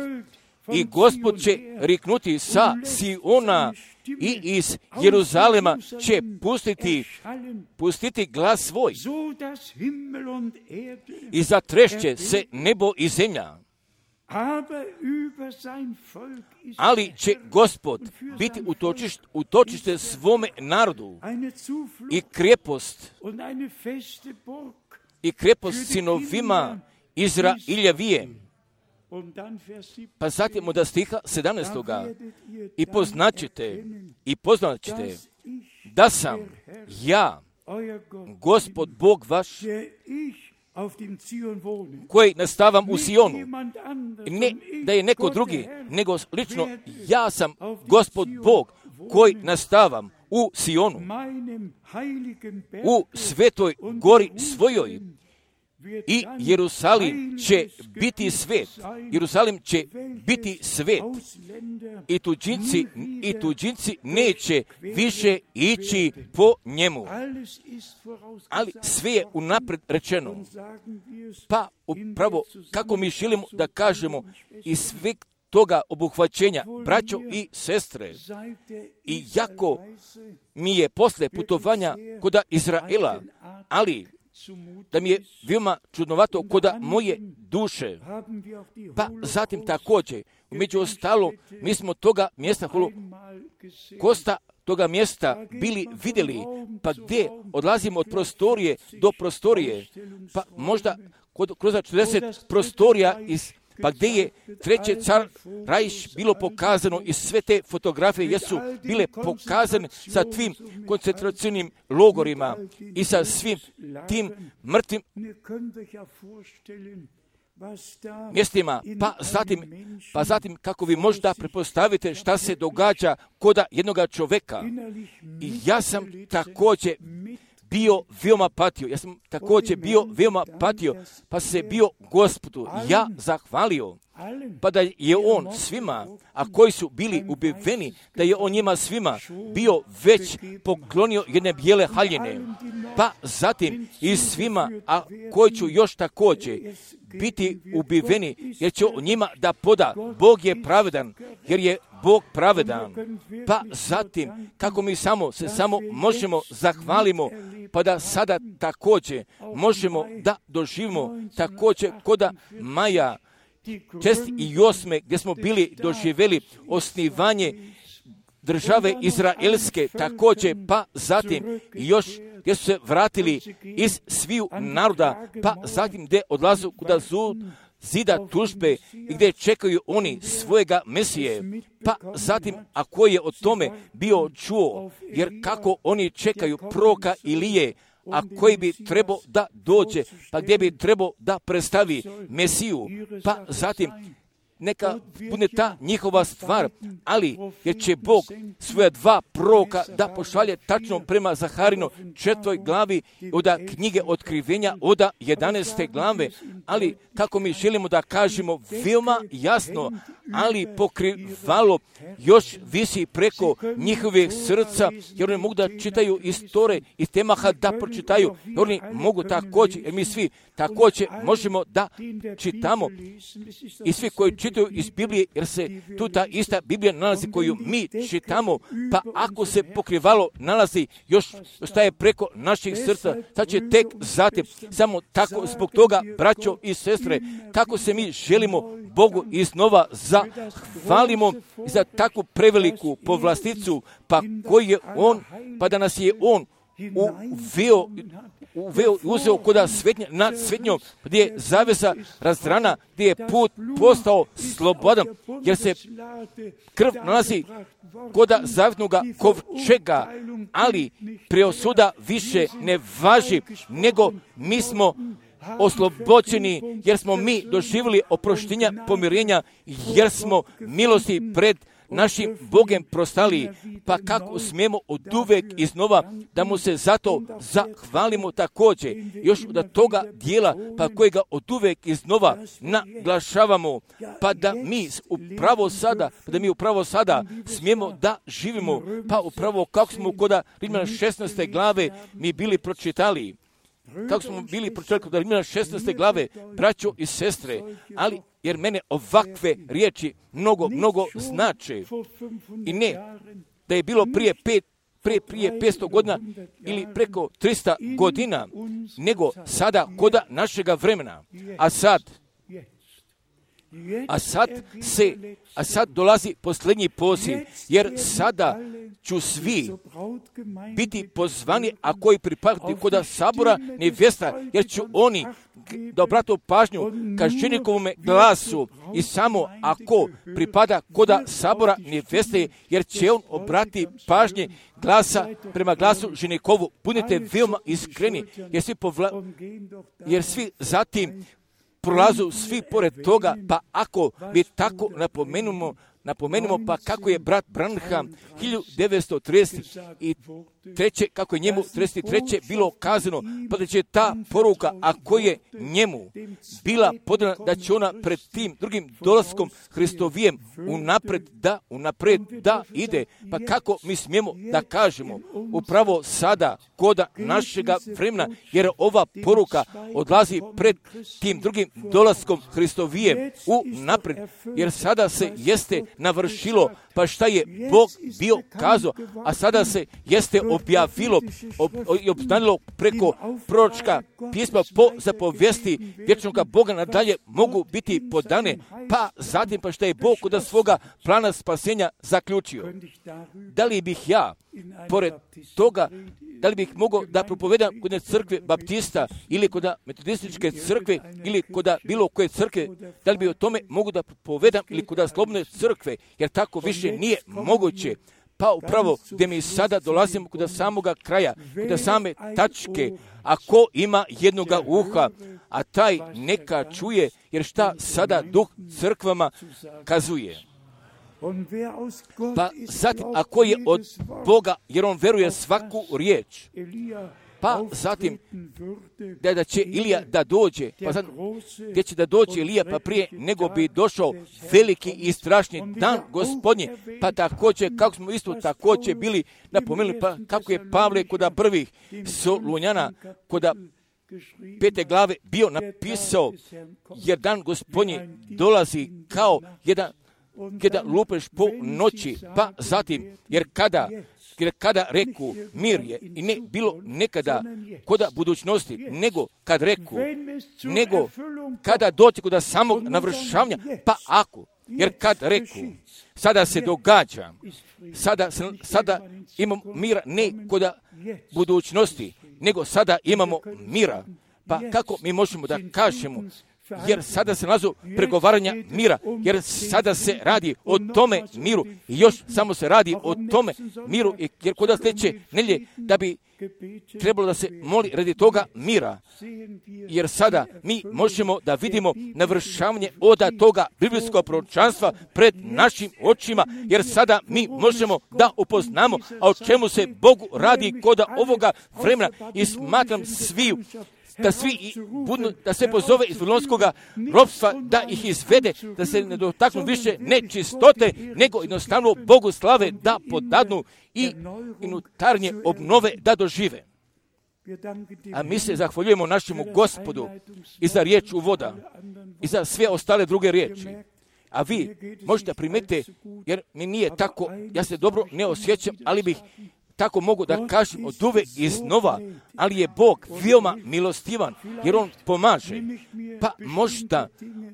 i Gospod će riknuti sa Siona i iz Jeruzalema će pustiti, pustiti glas svoj i zatrešće se nebo i zemlja. Ali će Gospod biti utočište, utočište svome narodu i krepost, i krepost sinovima Izraeljevije. Pa zatim od stiha sedamnaestoga i poznaćete, i poznaćete da sam ja, Gospod Bog vaš, koji nastavam u Sionu. Ne da je neko drugi, nego lično ja sam Gospod Bog koji nastavam u Sionu, u svetoj gori svojoj. I Jerusalim će biti svet. Jerusalim će biti svet. I tuđinci, i tuđinci neće više ići po njemu. Ali sve je unapred rečeno. Pa upravo kako mi želimo da kažemo i sve toga obuhvaćenja, braćo i sestre, i jako mi je posle putovanja kod Izraela, ali da mi je veoma čudnovato kod moje duše. Pa zatim također, među ostalo, mi smo toga mjesta, kosta toga mjesta bili vidjeli, pa gdje odlazimo od prostorije do prostorije, pa možda kod, kroz četrdeset prostorija iz pa gdje je treće car Reich bilo pokazano i sve te fotografije jesu bile pokazane sa tvim koncentracijnim logorima i sa svim tim mrtvim mjestima, pa zatim, pa zatim kako vi možda pretpostavite šta se događa koda jednoga čovjeka. I ja sam također bio veoma patio, ja sam također bio veoma patio, pa se bio Gospodu ja zahvalio, pa da je on svima, a koji su bili ubiveni, da je on njima svima bio već poklonio jedne bijele haljine, pa zatim i svima, a koji ću još također biti ubiveni, jer će on njima da poda. Bog je pravedan, jer je Bog pravedan. Pa zatim, kako mi samo se samo možemo zahvalimo, pa da sada također možemo da doživimo također koda Maja šest i osme, gdje smo bili doživjeli osnivanje države Izraelske, također, pa zatim još gdje su se vratili iz sviju naroda, pa zatim gdje odlazu kuda zud zida tužbe i gdje čekaju oni svojega Mesije, pa zatim ako je o tome bio čuo, jer kako oni čekaju proroka Ilije, a koji bi trebao da dođe, pa gdje bi trebao da predstavi Mesiju, pa zatim neka bude ta njihova stvar, ali jer će Bog svoja dva proroka da pošalje tačno prema Zaharino četvrtoj glavi od knjige Otkrivenja od jedanaeste glave, ali kako mi želimo da kažemo veoma jasno, ali pokrivalo još visi preko njihovih srca, jer oni mogu da čitaju iz Tore i temaha da pročitaju, jer oni mogu također, jer mi svi također možemo da čitamo i svi koji čitaju iz Biblije, jer se tu ta ista Biblija nalazi koju mi čitamo, pa ako se pokrivalo nalazi još ostaje preko naših srca, sad će tek zatim, samo tako zbog toga, braćo i sestre, kako se mi želimo Bogu iznova zahvalimo za takvu preveliku povlasticu, pa koji je on, pa da nas je on uveo, uveo uzeo koda svetnja, nad svetnjom, gdje je zavesa razdrana, gdje je put postao slobodan, jer se krv nalazi koda zavjetnoga kovčega, ali preosuda više ne važi, nego mi smo oslobođeni, jer smo mi doživjeli oproštenja, pomirenja, jer smo milosti pred našim Bogem prostali, pa kako smijemo od uvek iznova da mu se zato zahvalimo također, još od toga dijela, pa kojega od uvek iznova naglašavamo, pa da mi upravo sada, pa da mi upravo sada smijemo da živimo, pa upravo kako smo kod Rimljana šesnaeste glave mi bili pročitali, kako smo bili pročitali kod Rimljana šesnaeste glave, braćo i sestre, ali jer mene ovakve riječi mnogo, mnogo znače. I ne da je bilo prije pet, prije, prije petsto godina ili preko tristo godina, nego sada koda našega vremena. A sad, a sad se, a sad dolazi posljednji poziv, jer sada ću svi biti pozvani, a koji pripadaju koda sabora nevjesta, jer ću oni da obratu pažnju ka ženikovom glasu i samo ako pripada koda sabora nevjeste, jer će on obrati pažnje glasa prema glasu ženikovu. Budite veoma iskreni, jer svi, povla, jer svi zatim prolazu svi pored toga, pa ako mi tako napomenemo, napomenemo pa kako je brat Branham hiljadu devetsto trideset treće kako je njemu trideset treće bilo kazano, pa da će ta poruka, ako je njemu bila podana, da će ona pred tim drugim dolaskom Hristovijem unapred da, unapred da ide, pa kako mi smijemo da kažemo upravo sada koda našega vremena, jer ova poruka odlazi pred tim drugim dolaskom Hristovijem unapred, jer sada se jeste navršilo, pa šta je Bog bio kazao, a sada se jeste objavilo i obznanilo preko proročka pisma po zapovijesti vječnoga Boga nadalje mogu biti podane, pa zatim pa šta je Bog kod svoga plana spasenja zaključio. Da li bih ja, pored toga, da li bih mogao da propovedam kod crkve baptista ili kod metodističke crkve ili kod bilo koje crkve, da li bi o tome mogu da propovedam ili kod slobodne crkve, jer tako više nije moguće. Pa upravo gdje mi sada dolazimo kod samoga kraja, kod same tačke, a ko ima jednoga uha, a taj neka čuje, jer šta sada duh crkvama kazuje. Pa zatim, ako je od Boga, jer on veruje svaku riječ, pa zatim, da, da će Ilija da dođe, pa zatim, gdje će da dođe Ilija, pa prije nego bi došao veliki i strašni dan Gospodnje, pa također, kako smo isto također bili napomenuli, pa kako je Pavle kod prvih Solunjana, kod pete glave bio napisao, jer dan Gospodnje dolazi kao jedan kada lupeš po noći, pa zatim, jer kada, jer kada reku mir je, i ne bilo nekada koda budućnosti, nego kad reku, nego kada doći kod samog navršavanja, pa ako, jer kad reku, sada se događa, sada, sada imamo mira ne kod budućnosti, nego sada imamo mira, pa kako mi možemo da kažemo, jer sada se nalazu pregovaranja mira, jer sada se radi o tome miru i još samo se radi o tome miru, jer kod sljedeće nedjelje da bi trebalo da se moli radi toga mira, jer sada mi možemo da vidimo navršavanje oda toga biblijskog proročanstva pred našim očima, jer sada mi možemo da upoznamo, a o čemu se Bogu radi kod ovoga vremena i smatram sviju da svi budu, da se pozove iz Vavilonskoga ropstva, da ih izvede, da se ne dotaknu više nečistote, nego jednostavno Bogu slave da podadnu i unutarnje obnove da dožive. A mi se zahvaljujemo našemu Gospodu i za riječ uvoda i za sve ostale druge riječi. A vi možete primetiti, jer mi nije tako, ja se dobro ne osjećam, ali bih tako mogu da kažem od uve iznova, ali je Bog veoma milostivan, jer On pomaže. Pa možda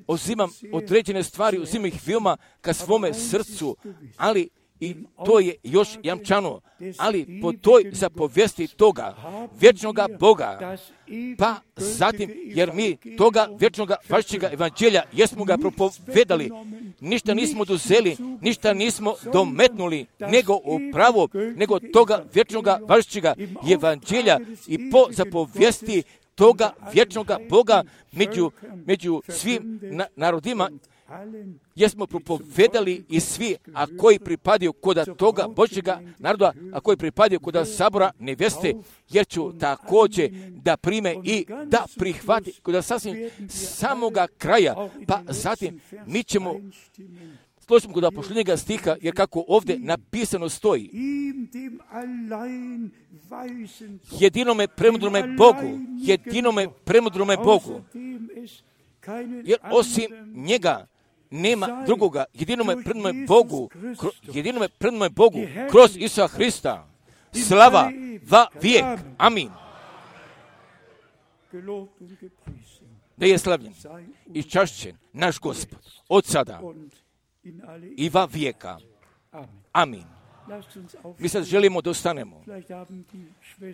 uzimam određene stvari, uzimam ih veoma ka svome srcu, ali i to je još jamčano, ali po toj zapovijesti toga vječnoga Boga, pa zatim, jer mi toga vječnoga vašćega evanđelja jesmo ga propovedali, ništa nismo dozeli, ništa nismo dometnuli, nego upravo, nego toga vječnoga vašćega evanđelja i po zapovijesti toga vječnoga Boga među, među svim na, narodima, jesmo propovedali i svi, a koji pripadaju kod toga Božjega naroda, a koji pripadaju kod sabora neveste, jer ću također da prime i da prihvati kod sasvim samoga kraja, pa zatim mi ćemo složimo kod posljednjega stiha, jer kako ovdje napisano stoji, jedinome premudrome Bogu, jedinome premudrome Bogu, jer osim njega nema drugoga, jedinome prednome Bogu, kro, jedinome prednome Bogu, kroz Isusa Hrista, slava va vijek. Amin. Da je slavljen i čašćen naš Gospod od sada i va vijeka. Amin. Mi sad želimo da ostanemo.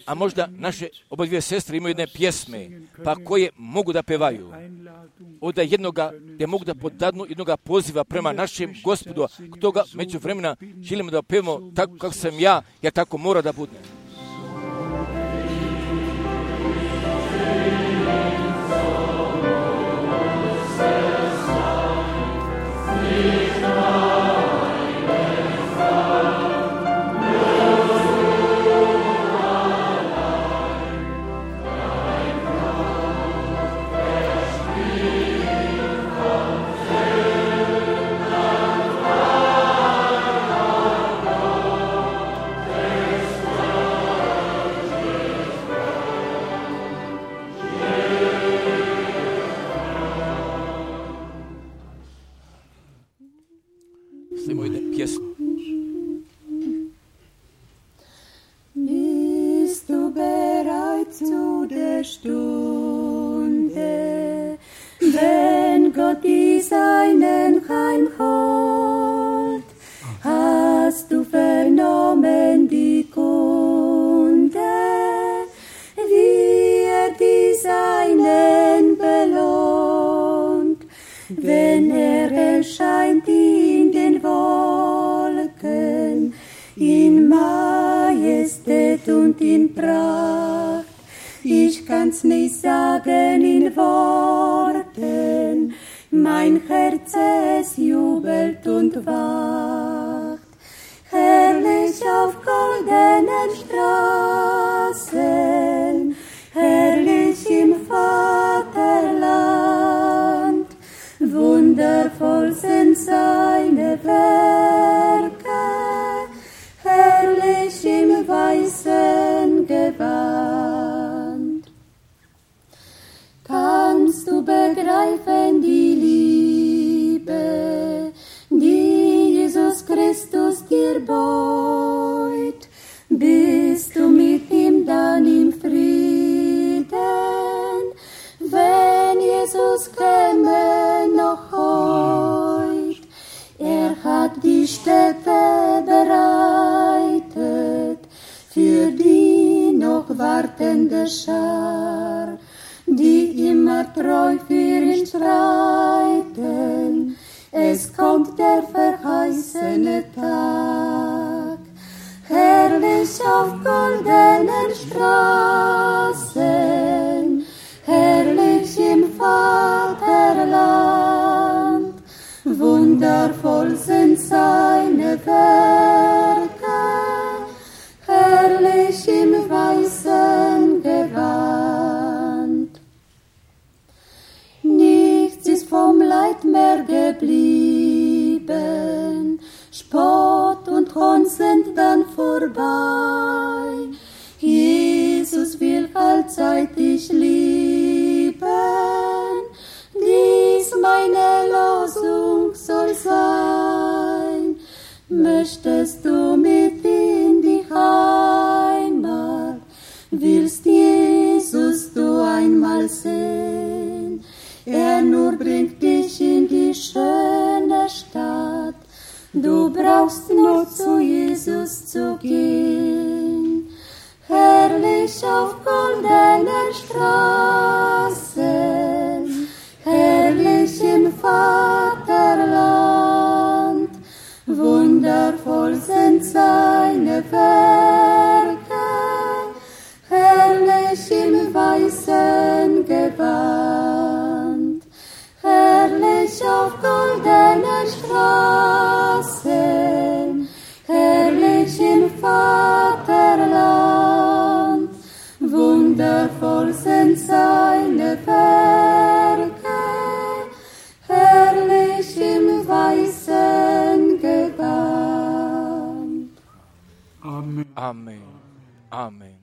A možda naše oba dvije sestre imaju jedne pjesme, pa koje mogu da pevaju. Od jednoga, gdje mogu da podadnu jednoga poziva prema našem Gospodu. Toga među vremena želimo da pevamo tako kako sam ja, jer tako mora da bude. Oh seinen Heimhold. Hast du vernommen die Kunde, wie er die Seinen belohnt, wenn er erscheint in den Wolken, in Majestät und in Pracht. Ich kann's nicht sagen in Worten, mein Herz es jubelt und wacht. Herrlich auf goldenen Straßen, herrlich im Vaterland, wundervoll sind seine Werke, herrlich im weißen Gewand. Kannst du begreifen die Liebe, die Jesus Christus dir beut? Bist du mit ihm dann im Frieden, wenn Jesus käme noch heut? Er hat die Stätte bereitet für die noch wartende Schar, die immer treu für ihn streiten. Es kommt der verheißene Tag, herrlich auf goldenen Straßen, herrlich im Vaterland, wundervoll sind seine Werke, herrlich im weißen Gewand. Nichts ist vom Leid mehr geblieben, Spott und Hohn sind dann vorbei. Jesus will allzeit dich lieben, dies meine Losung soll sein. Möchtest du mit in die Heimat, willst Jesus du einmal sehen? Er nur bringt dich in die schöne Stadt, du brauchst nur zu Jesus zu gehen. Herrlich auf goldenen Straßen, herrlich im Vaterland, wundervoll sind seine Werke, herrlich im weißen Gewand. Herrlich auf goldenen Straßen, herrlich im Vaterland, wundervoll sind seine Werke, herrlich im weißen Gewand. Amen. Amen. Amen.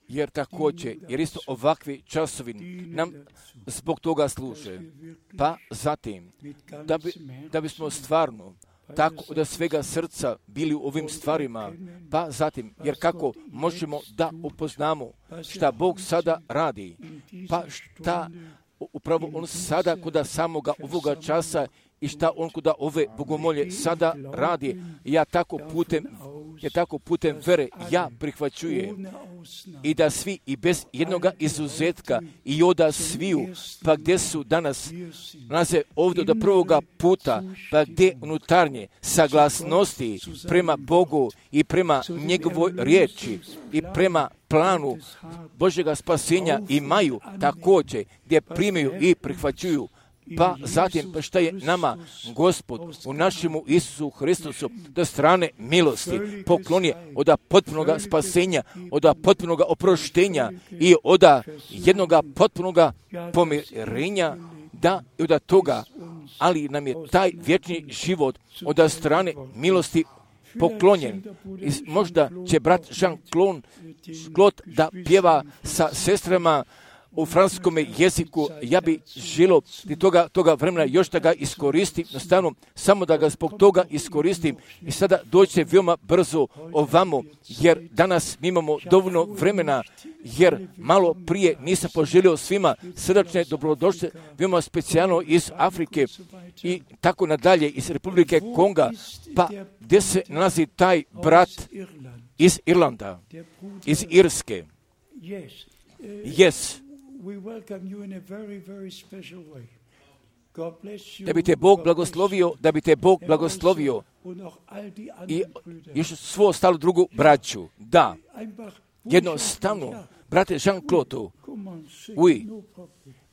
Jer također, jer isto ovakvi časovi nam zbog toga služe. Pa zatim, da, bi, da bismo stvarno tako od svega srca bili u ovim stvarima, pa zatim, jer kako možemo da upoznamo šta Bog sada radi, pa šta upravo On sada kuda samoga ovoga časa i šta On kuda ove bogomolje sada radi, ja tako putem, ja tako putem vere ja prihvaćujem i da svi i bez jednoga izuzetka i oda sviju, pa gdje su danas nalaze ovdje do prvoga puta, pa gdje unutarnje saglasnosti prema Bogu i prema njegovoj riječi i prema planu Božjega spasenja imaju također, gdje primaju i prihvaćuju. Pa zatim, pa šta je nama Gospod u našemu Isusu Hristusu do strane milosti poklonje od potpunoga spasenja, od potpunoga oproštenja i od jednoga potpunoga pomirenja, da i od toga, ali nam je taj vječni život od strane milosti poklonjen. I možda će brat Jean-Claude da pjeva sa sestrama u franskom jeziku, ja bi želio toga, toga vremena još da ga iskoristim, nastavno samo da ga zbog toga iskoristim i sada dođe veoma brzo ovamo, jer danas mi imamo dovoljno vremena, jer malo prije nisam poželio svima srdačne dobrodošle, veoma specijalno iz Afrike i tako nadalje, iz Republike Konga, pa gdje se nalazi taj brat iz Irlanda, iz Irske. Yes. Da bi te Bog blagoslovio, da bi te Bog blagoslovio i još svo ostalo drugu braću. Da, jednostavno, brate Jean-Claude, uj,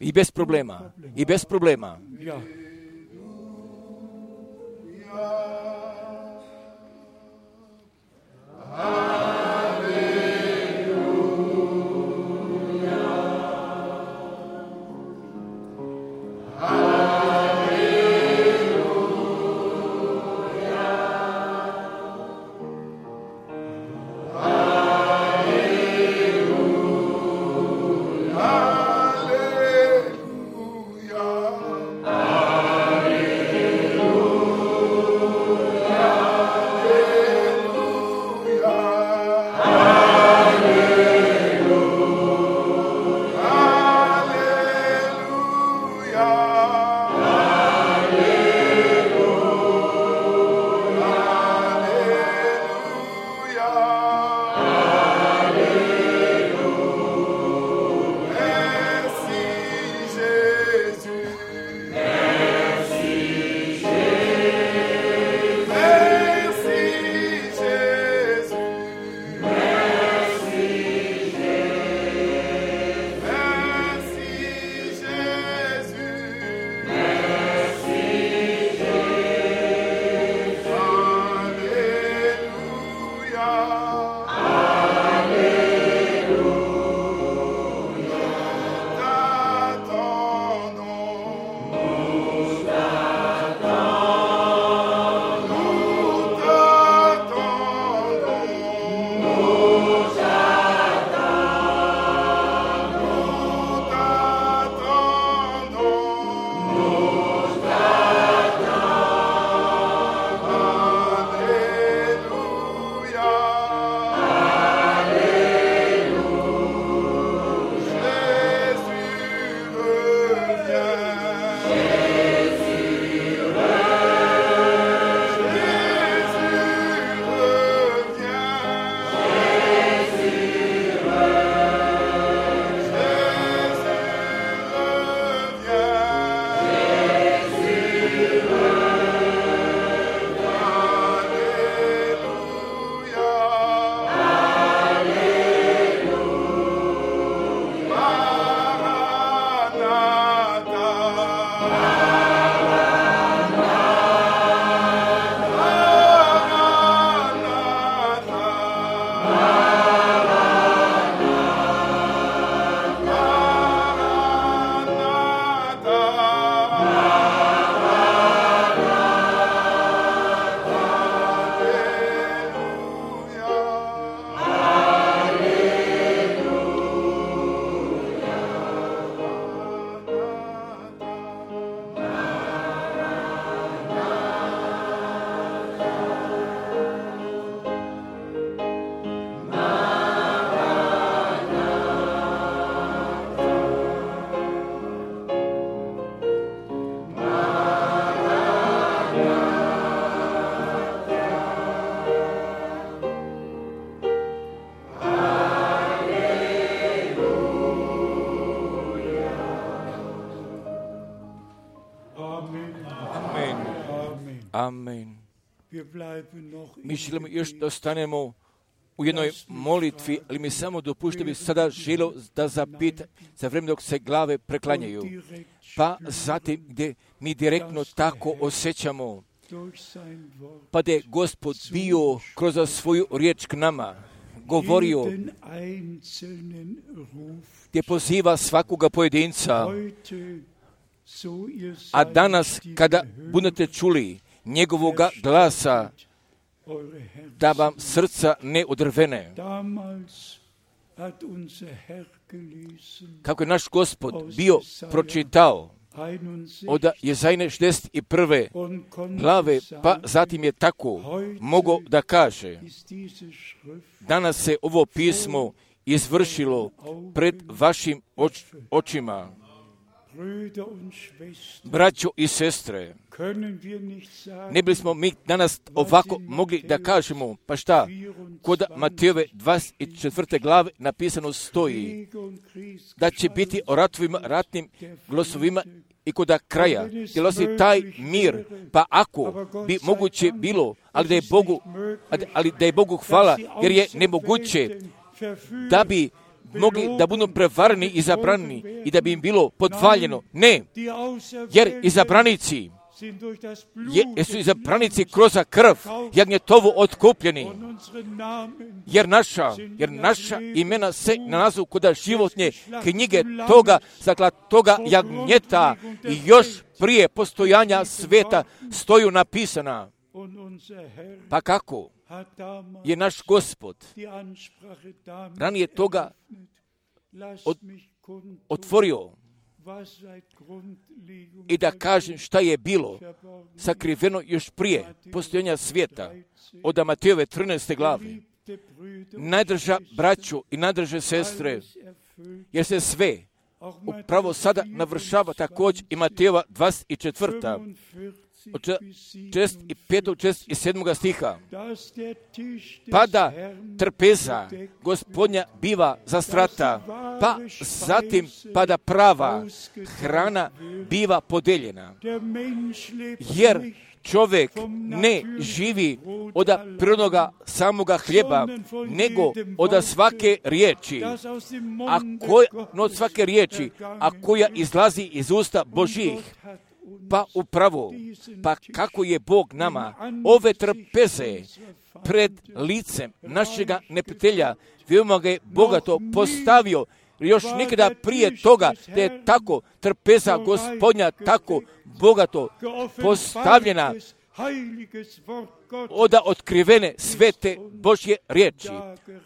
i bez problema, i bez problema. Amen. Mi želimo još da ostanemo u jednoj molitvi, ali mi samo dopušte bi sada želio da zapita za vrijeme dok se glave preklanjaju. Pa zatim gdje mi direktno tako osjećamo, pa da je Gospod bio kroz svoju riječ k nama, govorio, gdje poziva svakoga pojedinca, a danas kada budete čuli njegovoga glasa, da vam srca ne odrvene. kako je naš Gospod bio pročitao od Jezajne šezdeset prve glave, pa zatim je tako mogao da kaže: danas se ovo pismo izvršilo pred vašim oč, očima. Braćo i sestre, ne bismo mi danas ovako mogli da kažemo, pa šta, kod Matejove dvadeset četvrte glave napisano stoji da će biti o ratovima, ratnim glosovima i kod kraja, jer osim taj mir, pa ako bi moguće bilo, ali da je Bogu, ali da je Bogu hvala, jer je nemoguće da bi mogli da budu prevarni i zabrani i da bi im bilo podvaljeno. Ne, jer izabranici je, su izabranici kroz krv jagnjetovu otkupljeni, jer naša, jer naša imena se nalazu kod životne knjige toga, zakla toga jagnjeta i još prije postojanja sveta stoju napisana. Pa kako je naš Gospod ranije toga od, otvorio i da kažem šta je bilo sakriveno još prije postojanja svijeta od Matejove trinaeste glave. Najdrža braću i najdrže sestre, jer se sve upravo sada navršava također i Matejova dvadeset četvrta od šezdeset petog, šezdeset sedmog stiha. Pada trpeza Gospodnja biva zastrata, pa zatim pada prava hrana biva podeljena. Jer čovjek ne živi od prirodnoga samoga hljeba, nego od svake riječi, a koja, no od svake riječi, a koja izlazi iz usta Božjih. Pa upravo, pa kako je Bog nama ove trpeze pred licem našega neprijatelja, veoma ga je bogato postavio, još nikada prije toga da je tako trpeza Gospodnja tako bogato postavljena od otkrivene svete Božje riječi,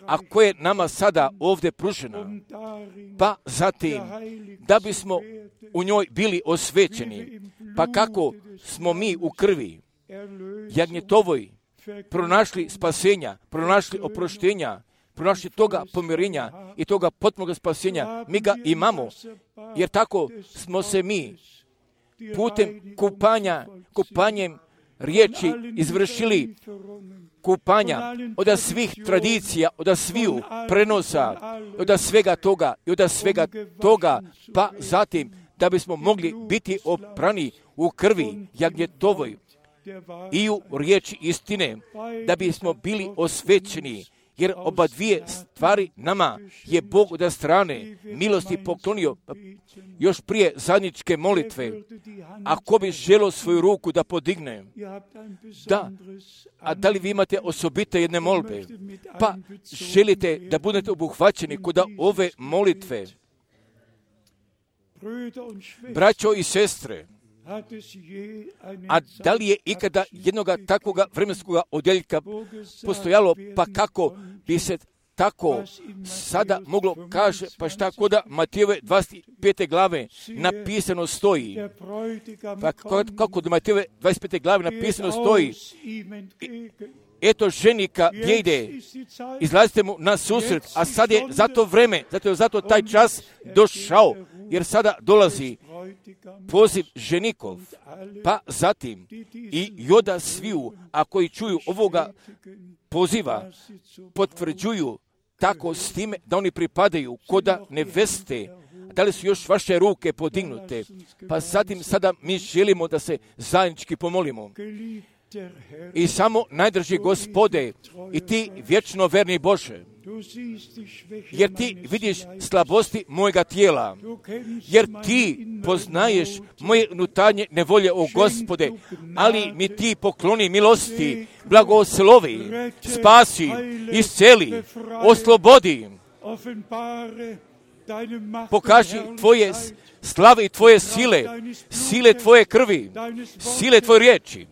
a koje je nama sada ovdje pružena. Pa zatim, da bismo u njoj bili osvećeni, pa kako smo mi u krvi jagnjetovoj pronašli spasenja, pronašli oproštenja, pronašli toga pomirenja i toga potpunog spasenja, mi ga imamo, jer tako smo se mi putem kupanja, kupanjem riječi izvršili kupanja od svih tradicija, od sviju prenosa, od svega toga i od svega toga, pa zatim da bismo mogli biti oprani u krvi jagnjetovoj i u riječi istine, da bismo bili osvećeni, jer oba dvije stvari nama je Bog od strane milosti poklonio još prije zajedničke molitve. Ako bi želio svoju ruku da podigne, da, a da li vi imate osobite jedne molbe, pa želite da budete obuhvaćeni kod ove molitve, braćo i sestre, a da li je ikada jednoga takvoga vremenskoga odjeljka postojalo, pa kako bi se tako sada moglo kaže, pa šta kod Matejove dvadeset pete glave napisano stoji, pa kako kod Matejove dvadeset pete glave napisano stoji, eto ženika gdje ide, izlazite mu na susret, a sad je za to vreme, zato je zato taj čas došao, jer sada dolazi poziv ženikov, pa zatim i joda sviju, a koji čuju ovoga poziva, potvrđuju tako s time da oni pripadaju koda neveste, da li su još vaše ruke podignute, pa zatim sada mi želimo da se zajednički pomolimo. I samo najdrži Gospode i ti vječno verni Bože, jer ti vidiš slabosti mojega tijela, jer ti poznaješ moje unutarnje nevolje, o Gospode, ali mi ti pokloni milosti, blagoslovi, spasi, isceli, oslobodi, pokaži tvoje slave i tvoje sile, sile tvoje krvi, sile tvoje riječi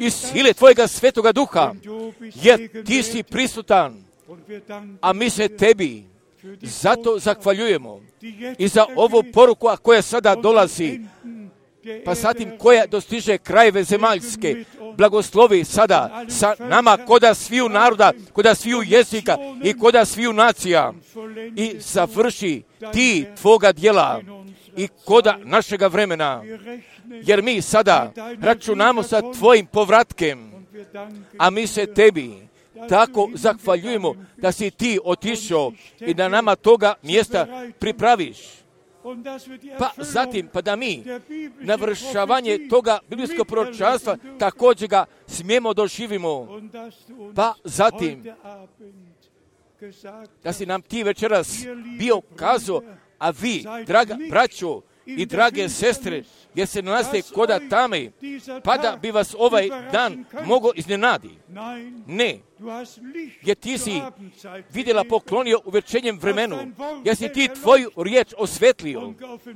i sile tvojega svetoga duha, jer ti si prisutan, a mi se tebi Zato zahvaljujemo i za ovu poruku koja sada dolazi, pa zatim koja dostiže krajeve zemaljske, blagoslovi sada sa nama koda sviju naroda, koda sviju jezika i koda sviju nacija i završi ti tvoga djela i koda našega vremena, jer mi sada računamo sa tvojim povratkem, a mi se tebi tako zahvaljujemo da si ti otišao i da nama toga mjesta pripraviš. Pa zatim, pa da mi navršavanje toga biblijskog proročanstva također ga smijemo doživimo. Pa zatim, da si nam ti večeras bio kazao, a vi, draga braćo i drage sestre, jer se nalazite koda tame, pa da bi vas ovaj dan mogao iznenadi. Ne, jer ti si vidjela poklonio u večernjem vremenu, jer si ti tvoju riječ osvetlio,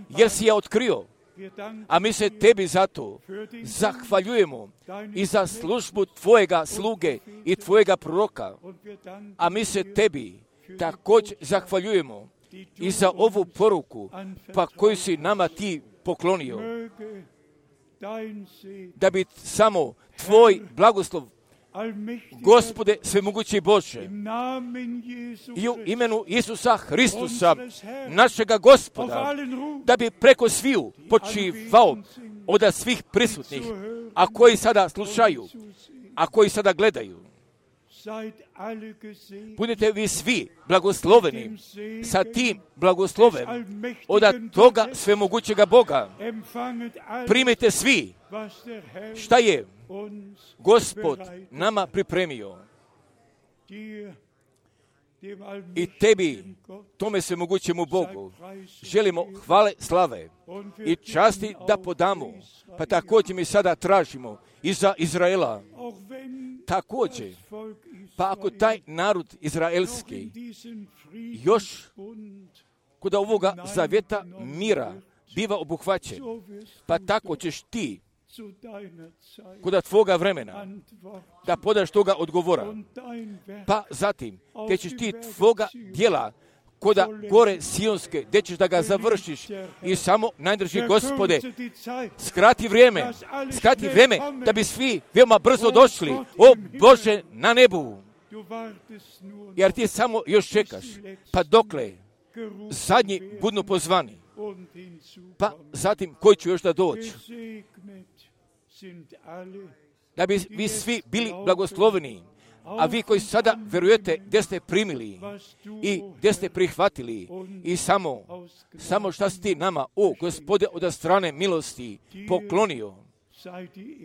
jer si je otkrio. A mi se tebi zato zahvaljujemo i za službu tvojega sluge i tvojega proroka. A mi se tebi također zahvaljujemo i za ovu poruku, pa koju si nama ti poklonio, da bi samo tvoj blagoslov, Gospode svemogući Bože, i u imenu Isusa Hristusa, našega Gospoda, da bi preko sviju počivao od svih prisutnih, a koji sada slušaju, a koji sada gledaju. Budete vi svi blagosloveni sa tim blagoslovem od toga svemogućega Boga. Primite svi šta je Gospod nama pripremio. I tebi, tome svemogućemu Bogu, želimo hvale, slave i časti da podamo. Pa također mi sada tražimo i za Izraela. Također, pa ako taj narod izraelski još kod ovoga zavjeta mira biva obuhvaćen, pa tako ćeš ti kod tvoga vremena da podaš toga odgovora. Pa zatim, te ćeš ti tvoga djela koda gore Sionske, gdje ćeš da ga završiš i samo najdrži Gospode, skrati vrijeme, skrati vrijeme da bi svi veoma brzo došli, o Bože, na nebu. Jer ti samo još čekaš, pa dokle zadnji budnu pozvani, pa zatim koji će još da doći. Da bi vi svi bili blagosloveni, a vi koji sada verujete gdje ste primili i gdje ste prihvatili i samo, samo šta si ti nama, o Gospode, od strane milosti poklonio,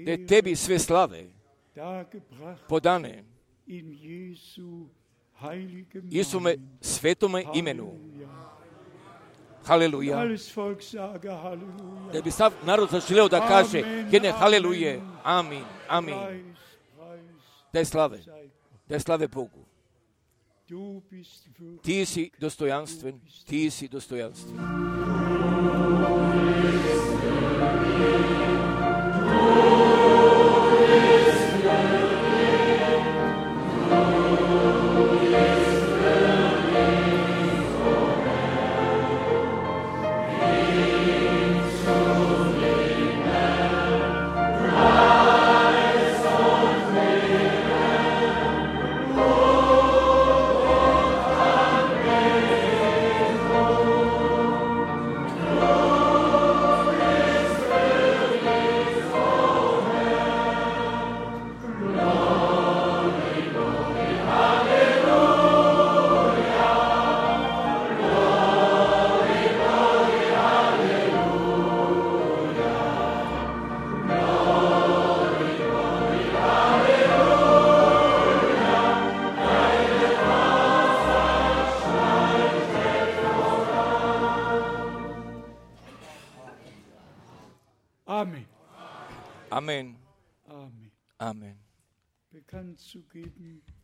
da je tebi sve slave podane Isume svetome imenu. Haleluja. Da bi sav narod zaželeo da kaže jedne haleluje. Amin. Amin. Da je slave. Da je slave Bogu. Ti si dostojanstven. Ti si dostojanstven. Amen. Amen.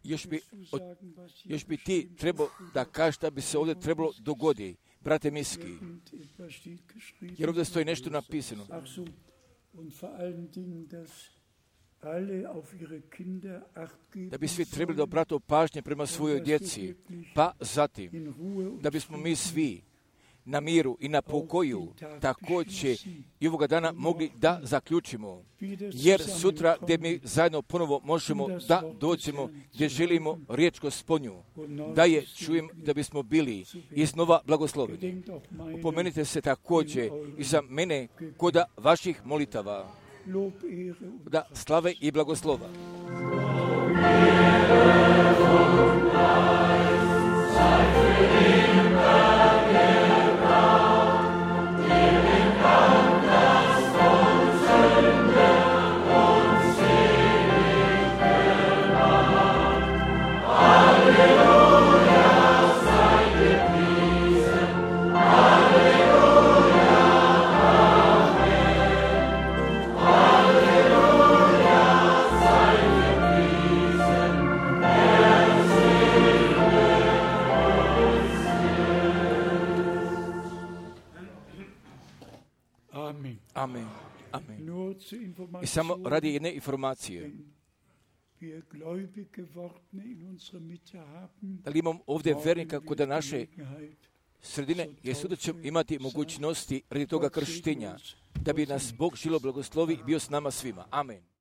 Još bi, od, još bi ti trebao da kažeš da bi se ovdje trebalo dogodi, brate Miski. Jer ovdje stoji nešto napisano. da bi svi trebali da obrate pažnje prema svojoj djeci, pa zatim da bismo mi svi na miru i na pokoju također i ovoga dana mogli da zaključimo, jer sutra gdje mi zajedno ponovo možemo da dođemo, gdje želimo riječ Gospodnju, da je čujem, da bismo bili iznova blagosloveni. Upomenite se također i za mene kod vaših molitava, da slave i blagoslova. Amen. Amen. I samo radi jedne informacije. Da li imam ovdje vernika kod naše sredine, jer sutra ćemo imati mogućnosti radi toga krštenja, da bi nas Bog žilo blagoslovi i bio s nama svima. Amen.